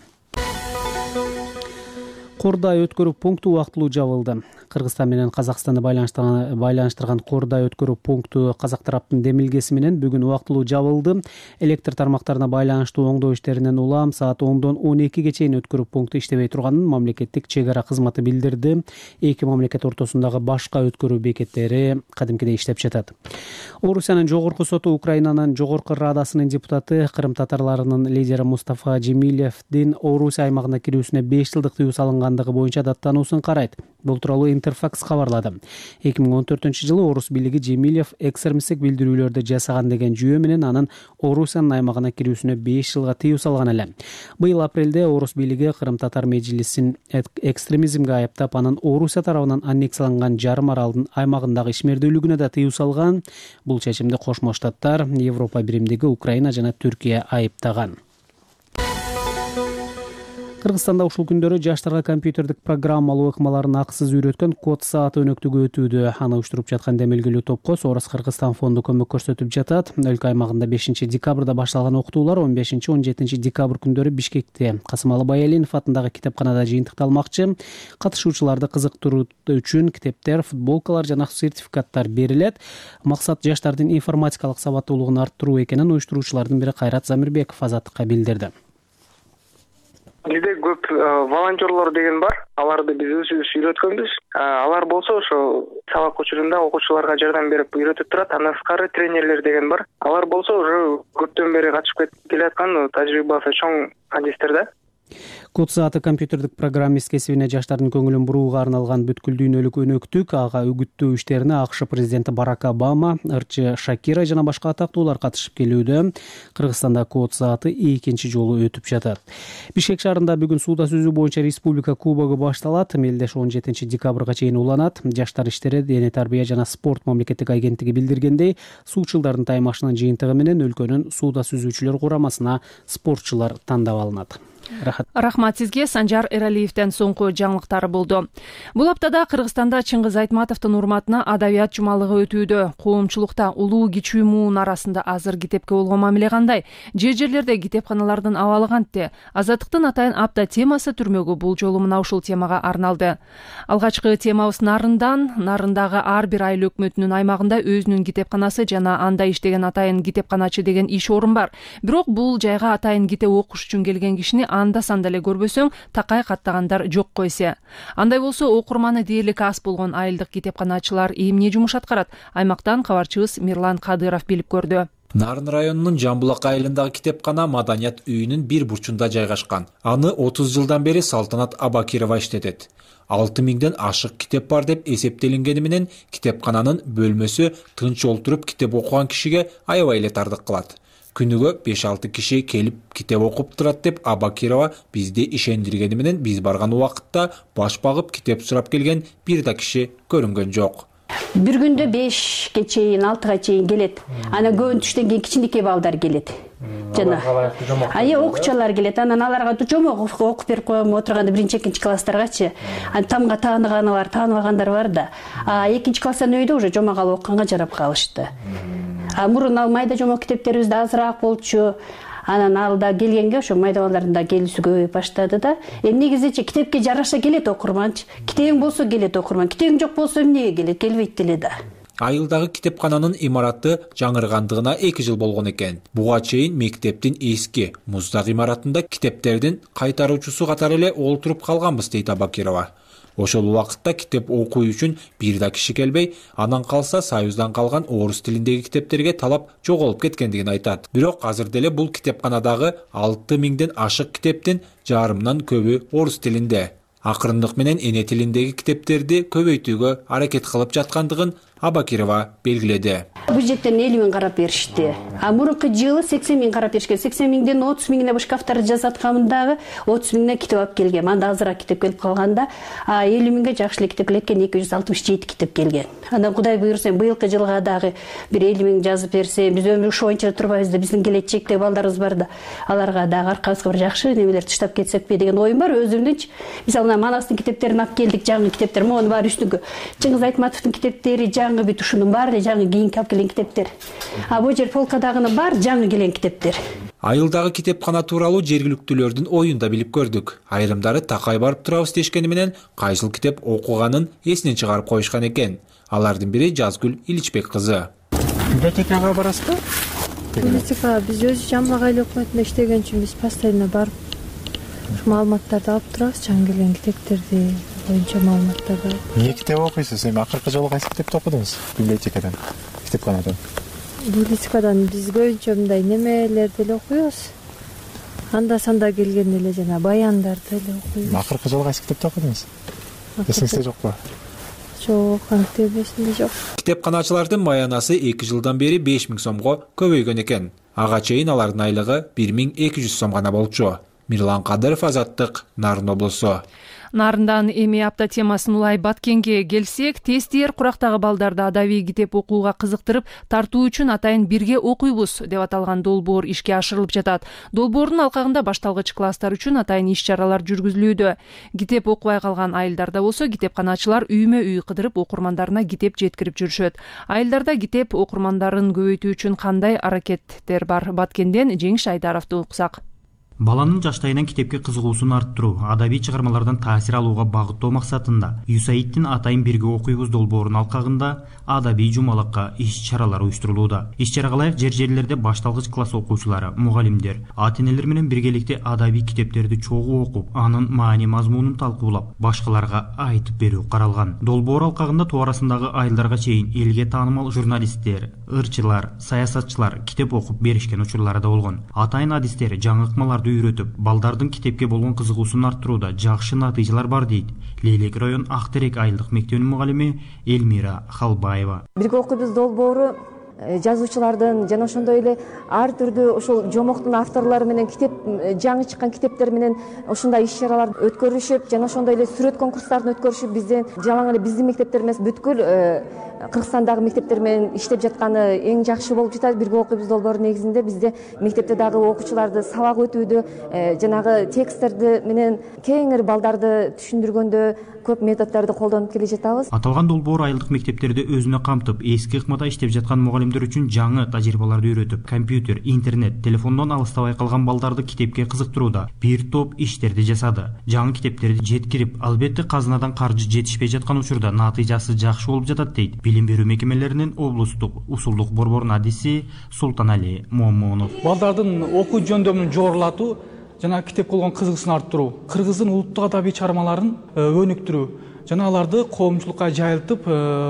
Кордай өткөрүү пункту убактылуу жабылды. Кыргызстан менен Казакстанды байланыштырган Кордай өткөрүү пункту казак тараптын демилгеси менен бүгүн убактылуу жабылды. Электр тармактарына байланыштуу оңдоо иштеринен улам саат 10дон 12ге чейин өткөрүү пункту иштебей турганын мамлекеттик чек ара кызматы билдирди. Эки мамлекет ортосундагы башка өткөрүү бекеттери кадимкидей иштеп жатат. Орусиянын жогорку соту Украинанын жогорку радасынын депутаты, Кырым татарларынын лидери Мустафа Джемилевдин Орусия аймагына кирүүсүнө 5 жылдык тыюу салынгандыгы боюнча даттануусун карайт. Бул тууралуу Интерфакс кабарлады. 2014-жылы Орус бийлиги Джемилев экстремисттик билдирүүлөрдү жасаган деген жүйө менен анын Орусиянын аймагына кирүүсүнө 5 жылга тыюу салган эле. Быйыл апрелде Орус бийлиги Кырым татар мejlisин экстремизмге айыптап, анын Орусия тарабынан аннексияланган жарым аралдын аймагындагы ишмердүүлүгүнө да тыюу салган. Бул чечимди Кошмо Штаттар, Европа биримдиги, Украина жана Түркия айыптаган. Кыргызстанда ушул күндөрү жаштарга компьютердик программалуу ыкмаларын акысыз үйрөткөн код саат өнөктүгү өтүүдө. Аны уюштуруп жаткан демелгилүү топко Соорос Кыргызстан фонду көмөк көрсөтүп жатат. Өлкө аймагында 5 декабрда башталган окутуулар 15-17 декабрь күндөрү Бишкекте Касымалы Баялинов атындагы китепканада жыйынтыкталмакчы. Катышуучуларды кызыктыруу үчүн китептер, футболкалар жана сертификаттар берилет. Максат жаштардын информатикалык сабаттуулугун арттыруу экенин уюштуруучулардын бири Кайрат Замирбеков Азаттыкка билдирди. Бизде көп волонтерлор деген бар. Аларды биз өзүбүз үйрөткөнбүз. Алар болсо ошо сабак учурунда окуучуларга жардам берип үйрөтүп турат. Андан тышкары тренерлер деген бар. Алар болсо уже көптөн бери катышып келаткан тажрыйбасы чоң адистер да. Код сааты компьютердик программист кесибине жаштардын көңүлүн бурууга арналган бүткүл дүйнөлүк өнөктүк. Ага үгүттөө иштерине АКШ президенти Барак Обама, ырчы Шакира жана башка атактуулар катышып келүүдө. Кыргызстанда код сааты экинчи жолу өтүп жатат. Бишкек шаарында бүгүн сууда сүзүү боюнча республика кубогу башталат. Мелдеш 17 декабрга чейин уланат. Жаштар иштери, дене тарбия жана спорт мамлекеттик агенттиги билдиргендей, суучулдардын таймашынын жыйынтыгы менен өлкөнүн сууда сүзүүчүлөр курамасына спортчулар тандап алынат. Рахмат сизге. Санжар Эралиевден соңку жаңылыктары болду. Бул аптада Кыргызстанда Чыңгыз Айтматовдун урматына адабият жумалыгы өтүүдө. Коомчулукта улуу кичүү муун арасында азыр китепке болгон мамиле кандай? Жерлерде китепканалардын абалы кантте? Азаттыктын атайын апта темасы түрмөгү бул жолу мына ушул темага арналды. Алгачкы темабыз Нарындагы ар бир айыл өкмөтүнүн аймагында өзүнүн китепканасы жана анда иштеген атайын китепканачы деген иш орун бар. Бирок бул жайга атайын китеп окуш үчүн келген кишини анда-санда эле көрбөсөң, такай каттагандар жок койсе. Андай болсо окурманы дээрлик аз болгон айылдык китепканачылар эмне жумуш аткарат? Аймактан кабарчыбыз Мирлан Кадыров билип көрдү. Нарын районунун Жамбулак айылындагы китепкана маданият үйүнүн бир бурчунда жайгашкан. Аны 30 жылдан бери Салтанат Абакирова иштетет. 6000ден ашык китеп бар деп эсептелингени менен китепкананын бөлмөсү тынч олтуруп китеп окуган кишиге аябай эле тардык кылат. Күнүгө 5-6 киши келип китеп окуп турат деп Абакирова бизди ишендиргени менен биз барган убакытта баш багып китеп сурап келген бир да киши көрүнгөн жок. Бир күндө 5ге чейин, 6га чейин келет. Ана көбүн түштөн кийин кичинекей балдар келет. Жана окуучулар келет. Анан аларга жомок окуп берип коем отурганда 1-2 класстаргачы. Тамга тааныгандар, тааныбагандар бар да. 2 класстан өйдө уже жомок алып окуганга жарап калышты. Мурун ал майда жомок китептерибиз да азыраак болчу. Анан алда келгенге ошо майда балдардын да келүүсү көбөйүп баштады да. Негизичи китепке жараша келет окурманчы. Китебиң болсо келет окурман. Китебиң жок болсо эмнеге келет? Келбейт деле да. Айылдагы китепкананын имараты жаңыргандыгына 2 жыл болгон экен. Буга чейин мектептин эски муздак имаратында китептердин кайтаруучусу катары эле олтуруп калганбыз дейт Абакирова. Ошол убакытта китеп окуу үчүн бир да киши келбей, анан калса Союздан калган орус тилиндеги китептерге талап жоголуп кеткендигин айтат. Бирок азыр деле бул китепканадагы 6000ден ашык китептин жарымынан көбү орус тилинде. Акырындык менен эне тилиндеги китептерди көбөйтүүгө аракет кылып жаткандыгын Абакирова белгиледи. Бюджеттен 50 000 карап беришти. Мурунку жылы 80 000 карап беришкен. 80 000ден 30 000 шкафтарды жасаткандагы 30 000 китеп алып келген. Анда азыраак китеп келип калганда 50 000 жакшы эле китеп келген, 267 китеп келген. Анан Кудай буйрса, быйылкы жылга дагы бир 50 000 жазып берсе, биз өмүр ушо боюнча турбайбыз да, биздин келечектеги балдарыбыз бар да. Аларга дагы аркабызга бир жакшы немелер таштап кетсекпи деген оюм бар өзүмдүнчү. Мисалы Манастын китептерин алып келдик, жаңы китептер, монун баары үстүнгө. Чыңгыз Айтматовдун китептери жаңы бүт ушунун баары жаңы кийинки алып келген китептер. Бул жер полкадагынын баары жаңы келген китептер. Айылдагы китепкана тууралуу жергиликтүүлөрдүн оюн да билип көрдүк. Айрымдары такай барып турабыз дешкени менен кайсыл китеп окуганын эсинен чыгарып коюшкан экен. Алардын бири Жазгүл Иличбек кызы. Библиотекага барасызбы? Библиотекага биз өзү Жамбулак айыл өкмөтүндө иштеген үчүн биз постоянно барып маалыматтарды алып турабыз, жаңы келген китептерди боюнча маалыматтарды. Эмне китеп окуйсуз? Эми акыркы жолу кайсы китепти окудуңуз? Библиотекадан, китепканадан. Библиотекадан биз көбүнчө мындай немелерди эле окуйбуз. Анда-санда келген эле жана баяндарды эле окуйбуз. Акыркы жолу кайсы китепти окудуңуз? Эсиңизде жокпу? Жок, кантип эсимде жок. Китепканачылардын маянасы 2 жылдан бери 5 000 сомго көбөйгөн экен. Ага чейин алардын айлыгы 1200 сом гана болчу. Мирлан Кадыров, Азаттык, Нарын облусу. Нарындан эми апта темасын улай Баткенге келсек, тестиер курактагы балдарды адабий китеп окууга кызыктырып тартуу үчүн атайын бирге окуйбуз деп аталган долбоор ишке ашырылып жатат. Долбоордун алкагында башталгыч класстар үчүн атайын иш-чаралар жүргүзүлүүдө. Китеп окубай калган айылдарда болсо китепканачылар үймө үй кыдырып окурмандарына китеп жеткирип жүрүшөт. Айылдарда китеп окурмандарын көбөйтүү үчүн кандай аракеттер бар? Баткенден Жеңиш Айдаровду уксак. Баланын жаштайынан китепке кызыгуусун арттыруу, адабий чыгармалардан таасир алууга багыттоо максатында ЮСАИДтин атайын бирге окуйбуз долбоорунун алкагында адабий жумалакка иш-чаралар уюштурулууда. Иш-чарага ылайык жер-жерлерде башталгыч класс окуучулары, мугалимдер, ата-энелер менен биргеликте адабий китептерди чогуу окуп, анын маани мазмунун талкуулап, башкаларга айтып берүү каралган. Долбоор алкагында тоо арасындагы айылдарга чейин элге таанымал журналисттер, ырчылар, саясатчылар китеп окуп беришкен учурлары да болгон. Атайын адистер, жаңы ыкмаларды үйрөтүп, балдардын китепке болгон кызыгуусун арттырууда жакшы натыйжалар бар дейт Лейлек район Актерек айылдык мектебинин мугалими Элмира Халбаева. Бирге окуйбуз долбоору жазуучулардын жана ошондой эле ар түрдүү ошол жомоктун авторлору менен китеп жаңы чыккан китептер менен ушундай иш-чаралар өткөрүшүп, жана ошондой эле сүрөт конкурстарын өткөрүшүп, бизден жалаң эле биздин мектептер эмес, бүткүл Кыргызстандагы мектептер менен иштеп жатканы эң жакшы болуп жатат. Бирге окуйбуз долбоору негизинде бизде мектепте дагы окуучуларды сабак өтүүдө, жанагы тексттерди менен кеңири балдарды түшүндүргөндө көп методдорду колдонуп келе жатабыз. Аталган долбоор айылдык мектептерди өзүнө камтып, эски ыкмада иштеп жаткан мугалимдер үчүн жаңы тажрыйбаларды үйрөтүп, компьютер, интернет, телефондон алыстабай калган балдарды китепке кызыктырууда бир топ иштерди жасады. Жаңы китептерди жеткирип, албетте казынадан каржы жетишпей жаткан учурда натыйжасы жакшы болуп жатат дейт билим берүү мекемелеринин облустук усулдук борборунун адиси Султанали Момунов. Балдардын окуу жөндөмүн жогорулатуу жана китепке болгон кызыгуусун арттыруу, кыргыздын улуттук адабий чыгармаларын өнүктүрүү жана аларды коомчулукка жайылтып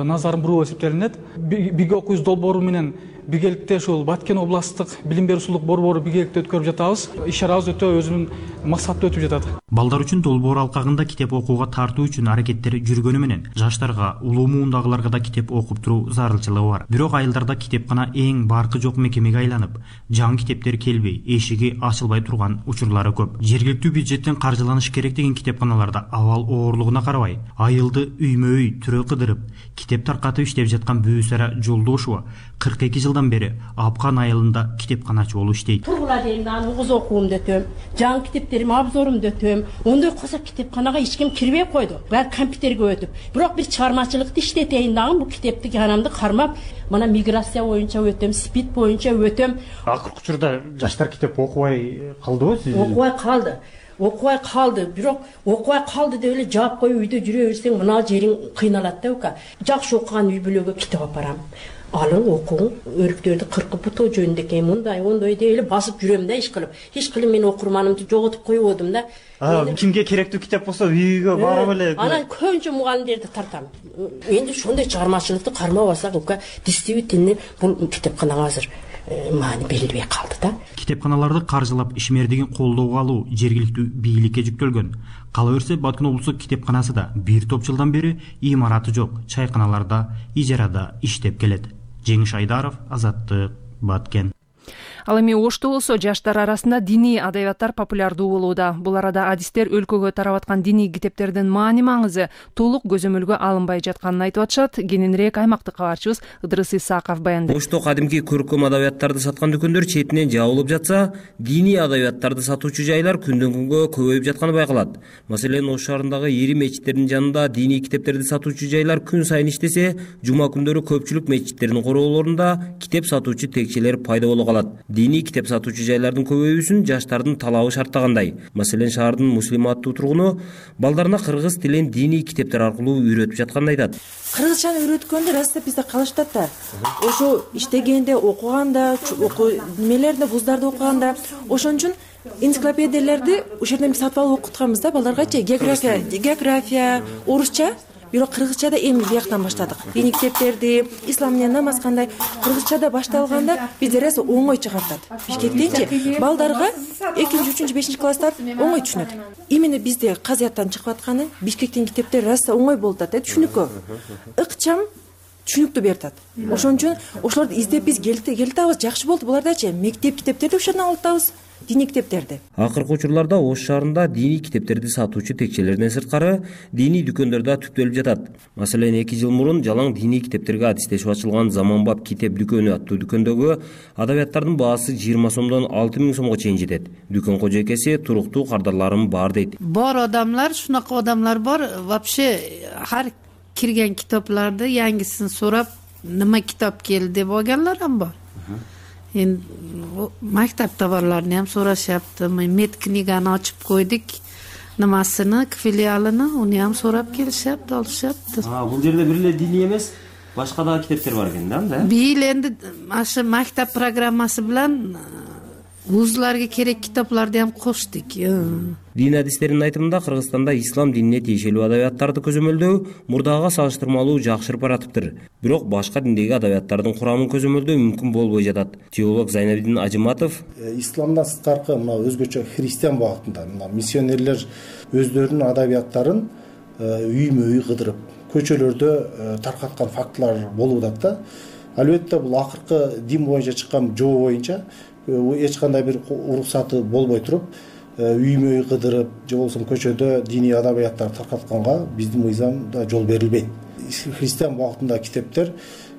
назарын буруу эсептелинет. Бирге окуйбуз долбоору менен биргеликте ушул Баткен областтык билим берүү усулдук борбору биргеликте өткөрүп жатабыз. Иш-чарабыз өтө өзүнүн максаттуу өтүп жатат. Балдар үчүн долбоор алкагында китеп окууга тартуу үчүн аракеттер жүргөнү менен жаштарга, улуу муундагыларга да китеп окуп туруу зарылчылыгы бар. Бирок айылдарда китепкана эң баркы жок мекемеге айланып, жаңы китептер келбей, эшиги ачылбай турган учурлары көп. Жергиликтүү бюджеттен каржыланыш керек деген китепканаларда абал оорлугуна карабай, айылды үймө үй түрө кыдырып, китеп таркатып иштеп жаткан Бүүсара Жолдошова 42 жылдан бери Апкан айылында китепканачы болуп иштейт. Тургула дейм, аны угуз окуумду өтөм, жаңы китептерим абзорумду өтөм. Ондой кылса китепканага эч ким кирбей койду. Баары компьютерге өтүп. Бирок бир чыгармачылыкты иштетейин дагы бул китепти канамды кармап, мына миграция боюнча өтөм, спид боюнча өтөм. Акыркы учурда жаштар китеп окубай калдыбы сиз? Окубай калды, бирок окубай калды деп эле жаап коюп үйдө жүрө берсең мына жериң кыйналат да ука. Жакшы окуган үй бүлөгө китеп апарам. Алың окуң, өрүктөрдү кыркып бутоо жөнүндө экен, мындай деп эле басып жүрөм да иш кылып мен окурманымды жоготуп коебодум да. Кимге керектүү китеп болсо үйгө барып эле. Анан көбүнчө мугалимдерди тартам. Энди ошондой чыгармачылыкты кармап алсак, ука действительно бул китепканага азыр маани берилбей калды да. Китепканаларды каржылап ишмердигин колдоого алуу жергиликтүү бийликке жүктөлгөн. Кала берсе Баткен облустук китепканасы да бир топ жылдан бери имараты жок чайканаларда ижарада иштеп келет. Жеңиш Айдаров, Азаттык, Баткен. Ал эми Ошто болсо жаштар арасында диний адабияттар популярдуу болууда. Бул арада адистер өлкөгө тарап аткан диний китептердин маани маңызы толук көзөмөлгө алынбай жатканын айтып атышат. Кененирээк аймактык кабарчыбыз Ыдырыс Исаков баяндайт. Ошто кадимки көркөм адабияттарды саткан дүкөндөр четинен жабылып жатса, диний адабияттарды сатуучу жайлар күндөн күнгө көбөйүп жатканы байкалат. Маселен, Ош шаарындагы ири мечиттердин жанында диний китептерди сатуучу жайлар күн сайын иштесе, жума күндөрү көпчүлүк мечиттердин короолорунда китеп сатуучу текчелер пайда боло калат. Диний китеп сатуучу жайлардын көбөйүүсүн жаштардын талабы шарттагандай. Маселен, шаардын муслиматтуу тургуну балдарына кыргыз тилин диний китептер аркылуу үйрөтүп жатканын айтат. Кыргызчаны үйрөткөндө раста бизде калыштат да. Ошо иштегенде, окуганда, немелерде, вуздарды окуганда, ошон үчүн энциклопедиялерди ошол жерден сатып алып окутканбыз да балдаргачы. География, орусча. Бирок кыргызчада эми бияктан баштадык. Диний китептерди, ислам менен намаз кандай кыргызчада башталганда бизде раз оңой чыгартат. Бишкектенчи балдарга 2-3, 5 класстар оңой түшүнөт. Именно бизде казыяттан чыгып атканы Бишкектин китептери раз оңой болуп атат, түшүнүккө. Ыкчам түшүнүктүү берип атат. Ошон үчүн ошолорду издеп биз келтирабыз, жакшы болду булардачы. Мектеп китептерди ошол жерден алып атабыз. диний китептерди. Акыркы учурларда Ош шаарында диний китептерди сатуучу текчелерден сырткары диний дүкөндөр да түптөлүп жатат. Маселен, 2 жыл мурун жалаң диний китептерге адистешип ачылган Заманбап китеп дүкөнү аттуу дүкөндөгү адабияттардын баасы 20 сомдон 6000 сомго чейин жетет. Дүкөн кожойкеси туруктуу кардарларым бар дейт. Бар адамдар, шунака адамдар бар. Вообще har кирген китапларды яңгысын сурап, нема китап келди деп алганларым бар. Эми мактап товарларын ham сурашапты. Мед книганы ачып койдук. Намасыны, филиалыны, уну ham сурап келишапты, алышапты. Бул жерде бир эле диний эмес, башка да китептер бар экен да? Бил энди ашы мактап программасы менен вузларга керек китапларды ham коштук. Дин адистеринин айтымында Кыргызстанда ислам динине тиешелүү адабияттарды көзөмөлдөө мурдага салыштырмалуу жакшырып баратыптыр. Бирок башка диндеги адабияттардын курамын көзөмөлдөө мүмкүн болбой жатат. Теолог Зайнабидин Ажыматов исламдан сырткары мына өзгөчө христиан багытында мына миссионерлер өздөрүнүн адабияттарын үймө-үй кыдырып, көчөлөрдө таркаткан фактылар болуп атат да. Албетте бул акыркы дин боюнча чыккан жобо боюнча эч кандай бир уруксаты болбой туруп, үймө-үй кыдырып же болбосо көчөдө диний адабияттар таркатканга биздин мыйзамда жол берилбейт. Христиан багытындагы китептер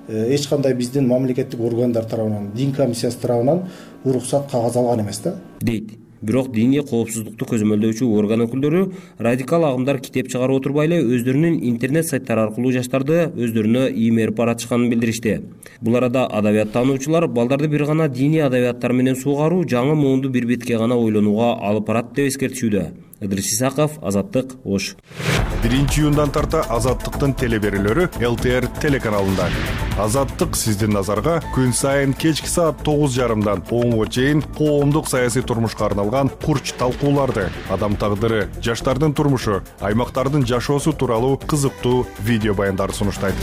эч кандай биздин мамлекеттик органдар тарабынан, дин комиссиясы тарабынан уруксат кагаз алган эмес да. Дейт. Бирок диний коопсуздукту көзөмөлдөөчү орган өкүлдөрү радикал агымдар китеп чыгарып отурбай эле өздөрүнүн интернет сайттары аркылуу жаштарды өздөрүнө иймерип баратышканын билдиришти. Бул арада адабияттануучулар балдарды бир гана диний адабияттар менен суугаруу жаңы муунду бир бетке гана ойлонууга алып барат деп эскертишүүдө. Ыдырыс Исаков, Азаттык, Ош. 1-июндан тарта Азаттыктын телеберүүлөрү ЛТР телеканалында. Азаттык сиздин назарга күн сайын кечки саат 9:30 10:00 чейин коомдук саясий турмушка арналган курч талкууларды, адам тагдыры, жаштардын турмушу, аймактардын жашоосу тууралуу кызыктуу видео баяндарды сунуштайт.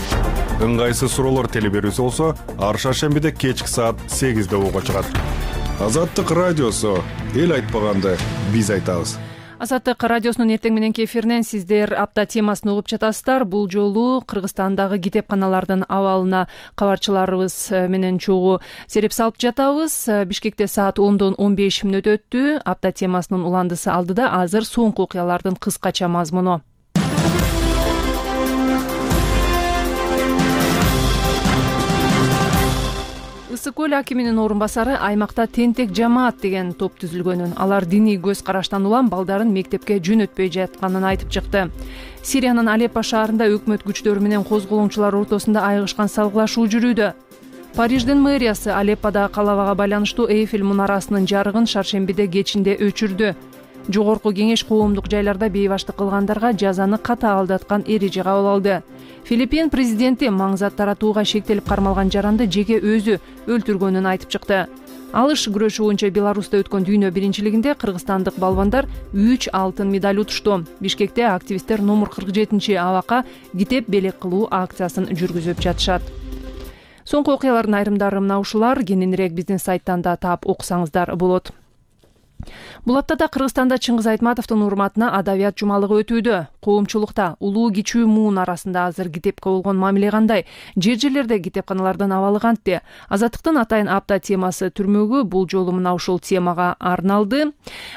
Ыңгайсыз суроолор телеберүүсү болсо, ар шаршембиде кечки саат 8:00 угуп чыгат. Азаттык радиосу, эл айтпаганды биз айтабыз. Азаттык радиосунун эртең мененки эфиринен сиздер апта темасын угуп жатасыздар. Бул жолу Кыргызстандагы китепканалардын абалына кабарчыларыбыз менен чогуу сереп салып жатабыз. Бишкекте саат 10:15 өттү. Апта темасынын уландысы алдыда. Азыр соңку окуялардын кыскача мазмуну. Ысык көл акиминин орун басары аймакта тентек жамаат деген топ түзүлгөнүн, алар диний көз караштан улам балдарын мектепке жөнөтпөй жатканын айтып чыкты. Сириянын Алеппо шаарында өкмөт күчтөрү менен козголоңчулар ортосунда айыгышкан салгылашуу жүрүүдө. Париждин мэриясы Алепподагы калабага байланыштуу Эйфель мунарасынын жарыгын шаршембиде кечинде өчүрдү. Жогорку кеңеш коомдук жайларда бейбаштык кылгандарга жазаны катаалдаткан эреже кабыл алды. Филиппин президенти маңзат таратууга шектелип кармалган жаранды жеке өзү өлтүргөнүн айтып чыкты. Алыш күрөшү боюнча Беларуста өткөн дүйнө биринчилигинде кыргызстандык балбандар 3 алтын медаль утушту. Бишкекте активисттер номер 47 абакка китеп белек кылуу акциясын жүргүзүп жатышат. Соңку окуялардын айрымдары мына ушулар. Кененирээк биздин сайттан да таап окусаңыздар болот. Бул аптада Кыргызстанда Чыңгыз Айтматовдун урматына адабият жумалыгы өтүүдө. Коомчулукта улуу кичүү муун арасында азыр китепке болгон мамиле кандай? Жер-жерлерде китепканалардын абалы кантти? Азаттыктын атайын апта темасы түрмөгү бул жолу мына ушул темага арналды.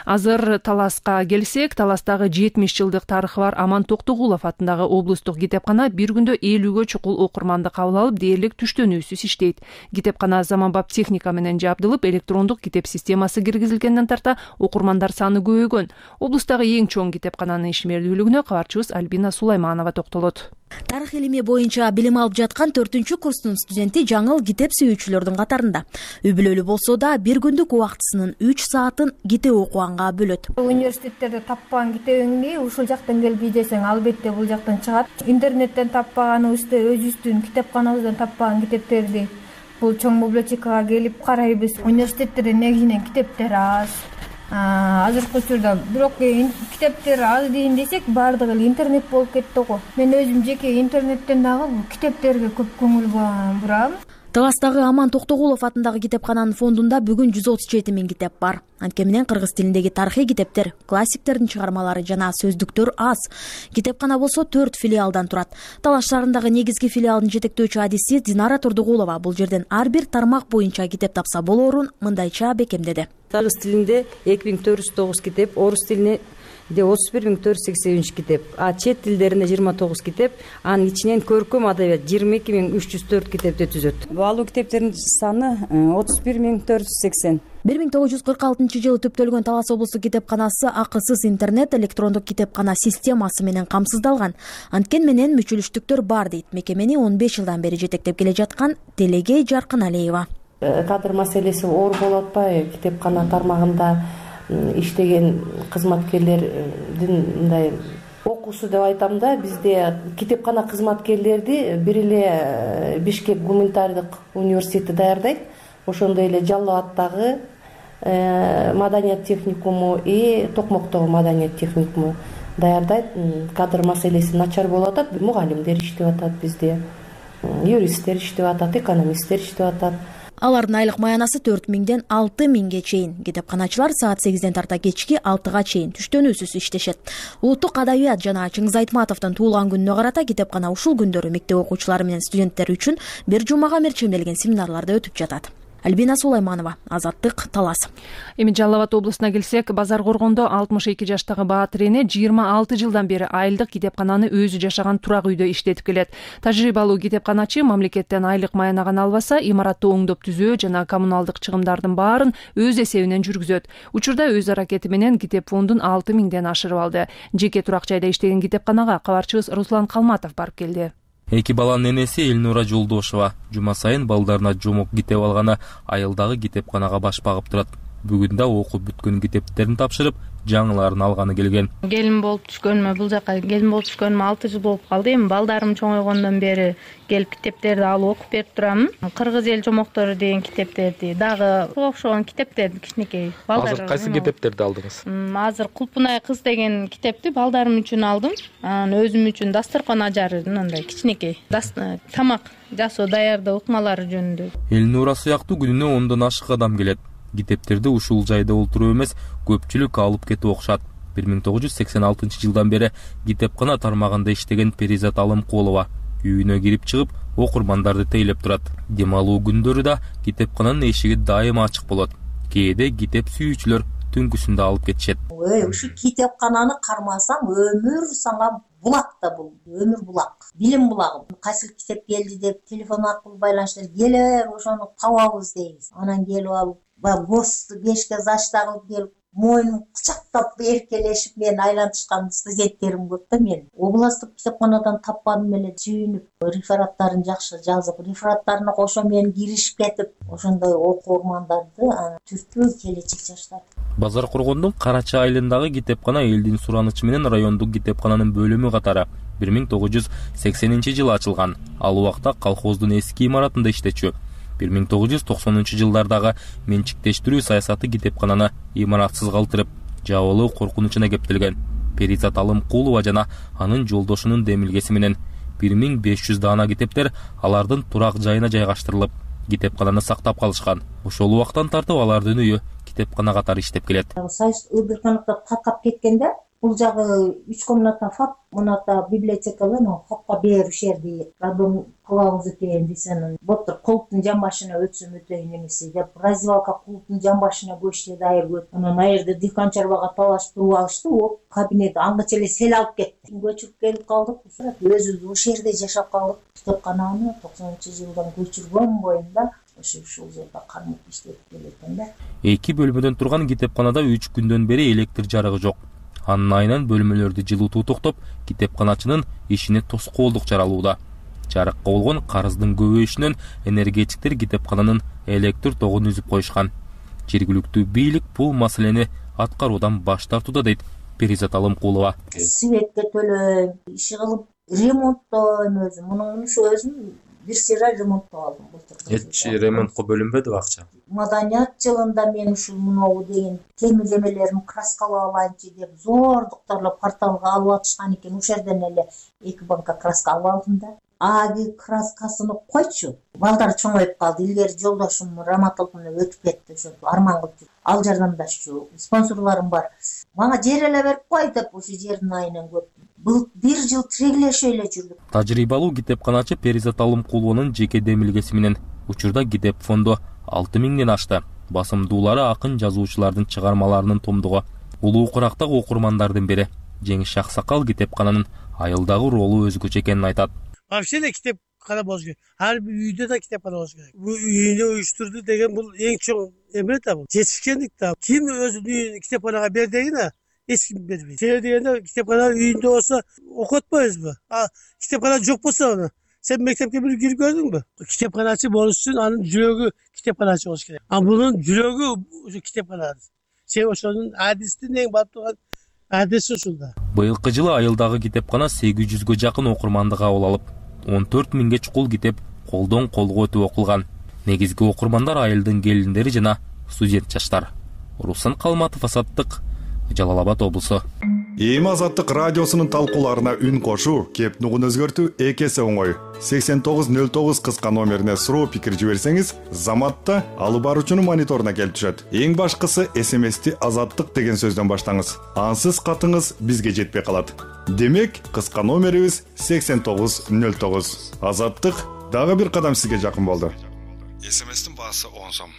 Азыр Таласка келсек, Таластагы 70 жылдык тарыхы бар Аман Токтогулов атындагы облустук китепкана бир күндө 50гө чукул окурманды кабыл алып, дээрлик түштөнүүсүз иштейт. Китепкана заманбап техника менен жабдылып, электрондук китеп системасы киргизилгенден тарта окурмандар саны көбөйгөн. Облустагы эң чоң китепкананын ишмердүүлүгүнө кабарчыбыз Альбина Сулайманова токтолот. Тарых илими боюнча билим алып жаткан 4-курстун студенти жаңыл китеп сүйүүчүлөрдүн катарында. Үй бүлөлүү болсо да бир күндүк убактысынын 3 саатын китеп окуганга бөлөт. Университеттерде таппаган китебиңди ушул жактан келип издесең, албетте бул жактан чыгат. Интернеттен таппаганыбызды, өзүбүздүн китепканабыздан таппаган китептерди бул чоң библиотекага келип карайбыз. Университеттерде негизинен китептер аз. Азыркы учурда бирок китептер аз дейин десек, баардыгы эле интернет болуп кетти го. Мен өзүм жеке интернеттен дагы китептерге көп көңүл бурам. Таластагы Аман Токтогулов атындагы китепкананын фондунда бүгүн 137 000 китеп бар. Анткени менен кыргыз тилиндеги тарыхый китептер, классиктердин чыгармалары жана сөздүктөр аз. Китепкана болсо 4 филиалдан турат. Талаш шаарындагы негизги филиалдын жетектөөчү адиси Динара Турдугулова бул жерден ар бир тармак боюнча китеп тапса болоорун мындайча бекемдеди. Кыргыз тилинде 2409 китеп, орус тилине 31483 китеп, чет тилдерине 29 китеп, анын ичинен көркөм адабият 22304 китепти түзөт. Баалуу китептердин саны 31480. 1946 жылы түптөлгөн Талас облустук китепканасы акысыз интернет электрондук китепкана системасы менен камсыздалган. Анткени менен мүчөлүштүктөр бар дейт мекемени 15 жылдан бери жетектеп келе жаткан Телегей Жаркыналиева. Кадр маселеси оор болуп атпайбы? Китепкана тармагында иштеген кызматкерлердин мындай окуусу деп айтам да, бизде китепкана кызматкерлерди бир эле Бишкек гуманитардык университети даярдайт. Ошондой эле Жалал абаддагы маданият техникуму и Токмоктогу маданият техникуму даярдайт. Кадр маселеси начар болуп атат, мугалимдер иштеп атат бизде, юристтер иштеп атат, экономисттер иштеп атат. Алардын айлык маянасы 4000ден 6000ге чейин. Китепканачылар саат 8ден тарта кечки 6га чейин түштөнүүсүз иштешет. Улуттук адабият жана Чыңгыз Айтматовдун туулган күнүнө карата китепкана ушул күндөрү мектеп окуучулары менен студенттер үчүн бир жумага мерчемделген семинарларда өтүп жатат. Альбина Сулайманова, Азаттык, Талас. Эми Жалал Абад облусуна келсек, Базар Коргондо 62 жаштагы Баатыр эне 26 жылдан бери айылдык китепкананы өзү жашаган турак үйдө иштетип келет. Тажрыйбалуу китепканачы мамлекеттен айлык маянаган албаса, имаратты оңдоп түзөө жана коммуналдык чыгымдардын баарын өз эсебинен жүргүзөт. Учурда өз аракети менен китеп фондун 6000ден ашырып алды. Жеке турак жайда иштеген китепканага кабарчыбыз Руслан Калматов барып келди. Эки баланын энеси Элнура Жолдошова жума сайын балдарына жомок китеп алганы айылдагы китепканага баш багып турат. Бүгүн да окуп бүткөн китептерин тапшырып, жаңыларын алганы келген. Келин болуп түшкөнүмө, бул жака келин болуп түшкөнүмө 6 жыл болуп калды. Эми балдарым чоңойгондон бери келип китептерди алып окуп берип турамын. Кыргыз эл жомоктору деген китептерди, дагы окшогон китептерди кичинекей. Азыр кайсы китептерди алдыңыз? Азыр Кулпунай кыз деген китепти балдарым үчүн алдым. Анан өзүм үчүн дасторкон ажары мындай кичинекей. Тамак жасоо даярдоо ыкмалары жөнүндө. Элнура сыяктуу күнүнө 10дон ашык адам келет. Китептерди ушул жайда олтуруп эмес, көпчүлүк алып кетип окушат. 1986 жылдан бери китепкана тармагында иштеген Перизат Алымкулова үйүнө кирип чыгып, окурмандарды тейлеп турат. Демалуу күндөрү да китепкананын эшиги дайыма ачык болот. Кээде китеп сүйүүчүлөр түнкүсүндө алып кетишет. Ушу китепкананы кармасаң өмүр сага булак да бул, өмүр булак, билим булагы. Кайсы китеп келди деп телефон аркылуу байланыштар келер, ошону табабыз дейбиз. Анан келип алып госту бешке зачта кылып келип, мойнун кучактап эркелешип мен айлантышкан студенттерим көп да мен. Областтык китепканадан тапканым эле сүйүнүп, рефераттарын жакшы жазып, рефераттарына кошо мен киришип кетип, ошондой окурмандарды түртүү келечек жаштар. Базар Коргондун Карача айылындагы китепкана элдин суранычы менен райондук китепкананын бөлүмү катары 1980-жылы ачылган. Ал убакта колхоздун эски имаратында иштечү. 1990 жылдардагы менчиктештирүү саясаты китепкананы имаратсыз калтырып, жабылуу коркунучуна кептелген. Перизат Алымкулова жана анын жолдошунун демилгеси менен 1500 даана китептер алардын турак жайына жайгаштырылып, китепкананы сактап калышкан. Ошол убактан тартып алардын үйү китепкана катары иштеп келет. Союз ыбырканыкта таркап кеткенде, бул жагы 3 комната фап, муната библиотекалы, фапка беришерди. Радон кылабыз экен десен, былтыр клубтун жамбашына өтсөм өтөйүн эмеси деп, развалка клубтун жамбашына көчтү дайыр көт. Анан айырды Диканчарбага талашып туруп алышты, о кабинет аңгыча эле сел алып кетти. Көчүрүп келип калдык, өзүбүз ошол жерде жашап калдык. Китепкананы 90-жылдан көчүргөн боюнда ушул жерде кармап иштеп келекен да. Эки бөлмөдөн турган китепканада 3 күндөн бери электр жарыгы жок. Анын айынан бөлмөлөрдү жылытуу токтоп, китепканачынын ишине тоскоолдук жаралууда. Жарыкка болгон карыздын көбөйүшүнөн энергетиктер китепкананын электр тогун үзүп коюшкан. Жергиликтүү бийлик бул маселени аткаруудан баш тартууда дейт Перизат Алымкулова. Светке төлөйм, иши кылып ремонттойм өзүм. Мунун өзүм бир сыйра ремонттоп алдым былтыр. Эч ремонтко бөлүнбөдү акча? Маданият жылында мен ушул муногу деген темирлемелерин краскалап алайынчы деп зордуктарлап порталга алып атышкан экен. Ошол жерден эле 2 банка краска алып алдым да. аги краскасыны койчу. Балдар чоңоюп калды. Илгери жолдошум Раматов менен өтүп кетти. Ошентип арман кылып жүр. Ал жардамдашчу. Спонсорлорум бар. Мага жер эле берип кой деп ушу жердин айынан көп. Бул 1 жыл тирегилешип эле жүрдүк. Тажрыйбалуу китепканачы Перизат Алымкулованын жеке демилгеси менен учурда китеп фонду 6000ден ашты. Басымдуулары акын жазуучулардын чыгармаларынын томдугу. Улуу Курактагы окурмандардын бири Жеңиш Шаксакал китепкананын айылдагы ролу өзгөчө экенин айтат. Вообще эле китепкана болуш керек. Ар бир үйдө да китепкана болуш керек. Бул үйүнө уюштурду деген бул эң чоң эме да бул. Жетишкендик да. Ким өзүнүн үйүн китепканага бер дегене эч ким бербейт. Себеби дегенде китепкана үйүндө болсо окутпайбызбы? Китепкана жок болсо сен мектепке бир кирип көрдүңбү? Китепканачы болуш үчүн анын жүрөгү китепканачы болуш керек. Бунун жүрөгү ушу китепкана. Себеби ошонун адистин эң бап турган адиси ушулда. Быйылкы жылы айылдагы китепкана 800гө жакын окурманды кабыл алып, 14 000ге чукул китеп колдон колго өтүп окулган. Негизги окурмандар айылдын келиндери жана студент жаштар. Руслан Калматов, Азаттык, Жалал Абад облусу. Эми Азаттык радиосунун талкууларына үн кошуу, кеп нугун өзгөртүү эки эсе оңой. 8909 кыска номерине суроо пикир жиберсеңиз, заматта алып баруучунун мониторуна келип түшөт. Эң башкысы SMS-ти Азаттык деген сөздөн баштаңыз. Ансыз катыңыз бизге жетпей калат. Демек, кыска номерибиз 8909. Азаттык дагы бир кадам сизге жакын болду. SMS-тин баасы 10 сом.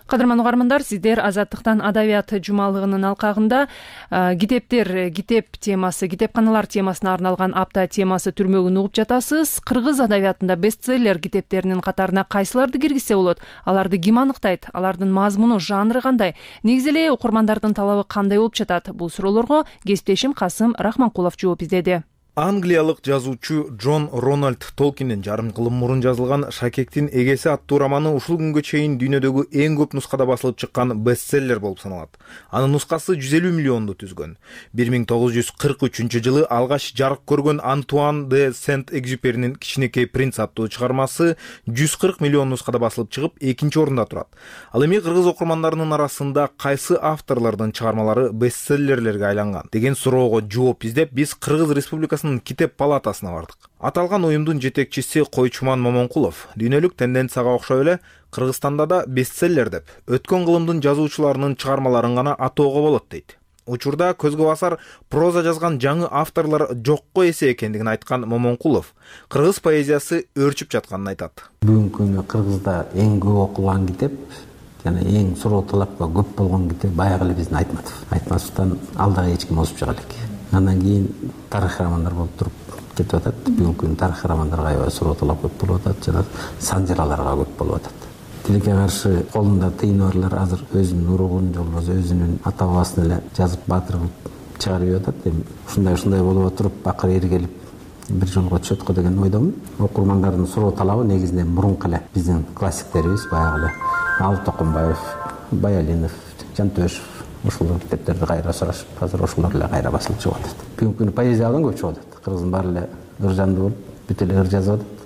Кадырман угармандар, сиздер Азаттыктан адабият жумалыгынын алкагында китеп темасы, китепканалар темасына арналган апта темасы түрмөгүн угуп жатасыз. Кыргыз адабиятында бестселлер китептеринин катарына кайсыларды киргизсе болот? Аларды ким аныктайт? Алардын мазмуну, жанры кандай? Негизи эле окурмандардын талабы кандай болуп жатат? Бул суроолорго кесиптешим Касым Рахманкулов жооп издеди. Англиялык жазуучу Джон Рональд Толкиндин жарым кылым мурун жазылган Шакектин эгеси аттуу романы ушул күнгө чейин дүйнөдөгү эң көп нускада басылып чыккан бестселлер болуп саналат. Анын нускасы 150 миллионду түзгөн. 1943-жылы алгач жарык көргөн Антуан де Сент-Экзюперинин Кичинекей принц аттуу чыгармасы 140 миллион нускада басылып чыгып, экинчи орунда турат. Ал эми кыргыз окурмандарынын арасында кайсы авторлордун чыгармалары бестселлерлерге айланган деген суроого жооп издеп, биз Кыргыз Республикасы китеп палатасына бардык. Аталган уюмдун жетекчиси Койчуман Момонкулов дүйнөлүк тенденцияга окшой эле Кыргызстанда да бестселлер деп өткөн кылымдын жазуучуларынын чыгармаларын гана атоого болот дейт. Учурда көзгө басар проза жазган жаңы авторлор жокко эсе экендигин айткан Момонкулов кыргыз поэзиясы өөрчүп жатканын айтат. Бүгүнкү күндө Кыргызда эң көп окулган китеп жана эң суроо талапка көп болгон китеп баягы эле биздин Айтматов. Айтматовдон алдагы эч ким озуп чыга элек. Андан кийин тарых романдар болуп туруп кетип атат. Бүгүнкү күндө тарых романдарга аябай суроо талап көп болуп атат, жана санжыраларга көп болуп атат. Тилекке каршы колунда тыйыны барлар азыр өзүнүн уругун, же болбосо өзүнүн ата бабасын эле жазып баатыр кылып чыгарып атат. Эми ушундай болуп туруп акыры эргелип бир жолго түшөт го деген ойдомун. Окурмандардын суроо талабы негизинен мурунку эле биздин классиктерибиз, баягы эле Алып Токонбаев, Баялинов, Жантөшев ушул китептерди кайра сурашып, азыр ошолор эле кайра басылып чыгып атат. Бүгүнкү күндө поэзиядан көп чыгып атат. Кыргыздын баары эле ыр жанды болуп, бүт эле ыр жазып атат.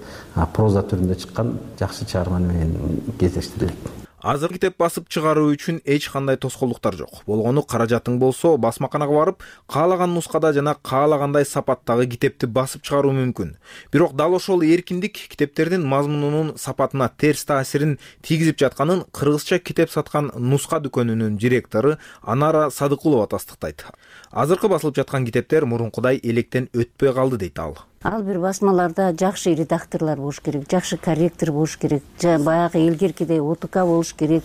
Проза түрүндө чыккан жакшы чыгарма менен кездештирилет. Азыр китеп басып чыгаруу үчүн эч кандай тоскоолдуктар жок. Болгону каражатың болсо, басмаканага барып, каалаган нускада жана каалагандай сапаттагы китепти басып чыгаруу мүмкүн. Бирок дал ошол эркиндик китептердин мазмунунун сапатына терс таасирин тийгизип жатканын кыргызча китеп саткан нуска дүкөнүнүн директору Анара Садыкулова тастыктайт. Азыркы басылып жаткан китептер мурункудай электен өтпөй калды дейт ал. Ал бир басмаларда жакшы редакторлор болуш керек, жакшы корректор болуш керек, баягы илгеркидей ОТК болуш керек.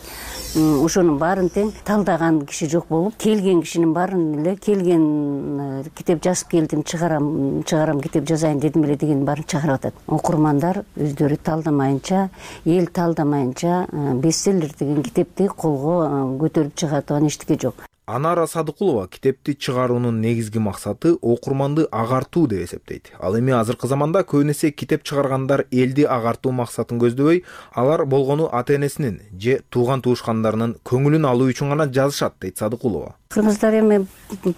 Ошонун баарын тең талдаган киши жок болуп, келген кишинин баарын эле келген китеп жазып келдим, чыгарам китеп жазайын дедим эле деген баарын чыгарып атат. Окурмандар өздөрү талдамайынча, эл талдамайынча бестселлер деген китепти колго көтөрүп чыга турган эчтеке жок. Анара Садыкулова китепти чыгаруунун негизги максаты окурманды агартуу деп эсептейт. Ал эми азыркы заманда көбүнесе китеп чыгаргандар элди агартуу максатын көздөбөй, алар болгону ата-энесинин же тууган-туушкандарынын көңүлүн алуу үчүн гана жазышат дейт Садыкулова. Кыргыздар эми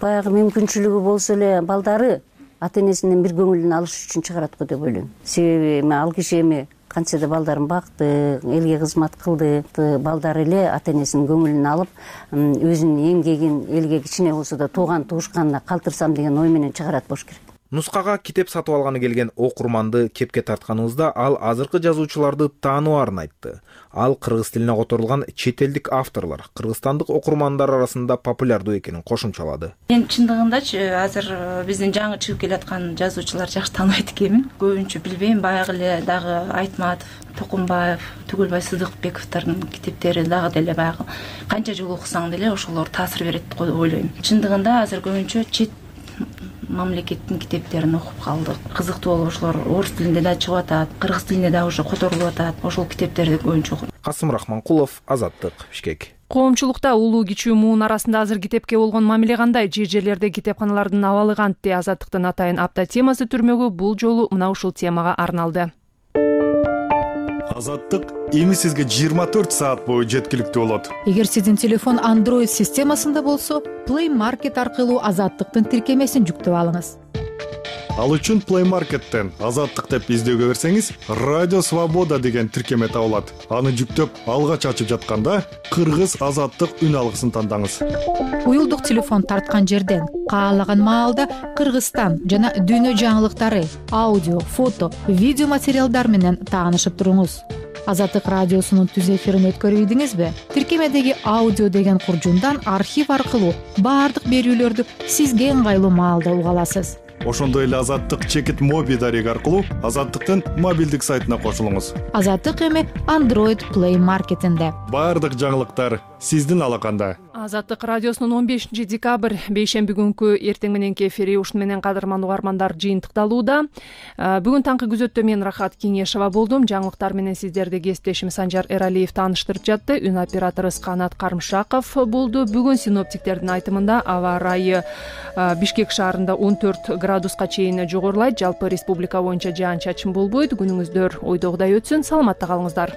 баягы мүмкүнчүлүгү болсо эле балдары ата-энесинин бир көңүлүн алыш үчүн чыгарат го деп ойлойм. Себеби эми ал киши эми канча да балдарын бакты, элге кызмат кылды, балдары эле ата-энесинин көңүлүн алып, өзүнүн эмгегин элге кичине болсо да тууган туушканына калтырсам деген ой менен чыгарат болуш керек. Нускага китеп сатып алганы келген окурманды кепке тартканыбызда ал азыркы жазуучуларды тааныбаарын айтты. Ал кыргыз тилине которулган чет элдик авторлор кыргызстандык окурмандар арасында популярдуу экенин кошумчалады. Мен чындыгындачы азыр биздин жаңы чыгып келаткан жазуучулар жакшы тааныбайт экенмин. Көбүнчө билбейм, баягы эле дагы Айтматов, Токумбаев, Түгөлбай Сыдыкбековдордун китептери дагы деле баягы канча жыл окусаң деле ошолор таасир берет деп ойлойм. Чындыгында азыр көбүнчө чет мамлекеттин китептерин окуп калдык. Кызыктуу болуп ошолор орус тилинде да чыгып атат, кыргыз тилинде да уже которулуп атат. Ошол китептерди көбүнчө окуйм. Касым Рахманкулов, Азаттык, Бишкек. Коомчулукта улуу кичүү муун арасында азыр китепке болгон мамиле кандай? Жерлерде китепканалардын абалы кантти? Азаттыктын атайын апта темасы түрмөгү бул жолу мына ушул темага арналды. Азаттык эми сизге 24 саат бою жеткиликтүү болот. Эгер сиздин телефон Android системасында болсо, Play Market аркылуу Азаттыктын тиркемесин жүктөп алыңыз. Ал үчүн Play Market'тен Азаттык деп издөөгө берсеңиз, Радио Свобода деген тиркеме табылат. Аны жүктөп, алгач ачып жатканда Кыргыз Азаттык үн алгысын тандаңыз. Уюлдук телефон тарткан жерден каалаган маалда Кыргызстан жана дүйнө жаңылыктары, аудио, фото, видео материалдар менен таанышып туруңуз. Азаттык радиосунун түз эфирин өткөрүйдүңүзбү? Тиркемедеги аудио деген куржундан архив аркылуу баардык берүүлөрдү сизге ыңгайлуу маалда уга аласыз. Ошондой эле Азаттык чекит моби дарек аркылуу Азаттыктын мобилдик сайтына кошулуңуз. Азаттык эми Android Play Market'инде. Баардык жаңылыктар сиздин алаканда. Азаттык радиосунун 15 декабрь бейшемби күнкү эртең мененки эфири ушун менен кадырман угармандар жыйынтыкталууда. Бүгүн таңкы күзөттө мен Рахат Кеңешова болдум. Жаңылыктар менен сиздерди кесиптешим Санжар Эралиев тааныштырып жатты. Үн операторубуз Канат Карымшаков болду. Бүгүн синоптиктердин айтымында аба ырайы Бишкек шаарында 14 градуска чейин жогорулайт. Жалпы республика боюнча жаан-чачын болбойт. Күнүңүздөр ойдогудай өтсүн. Саламатта калыңыздар.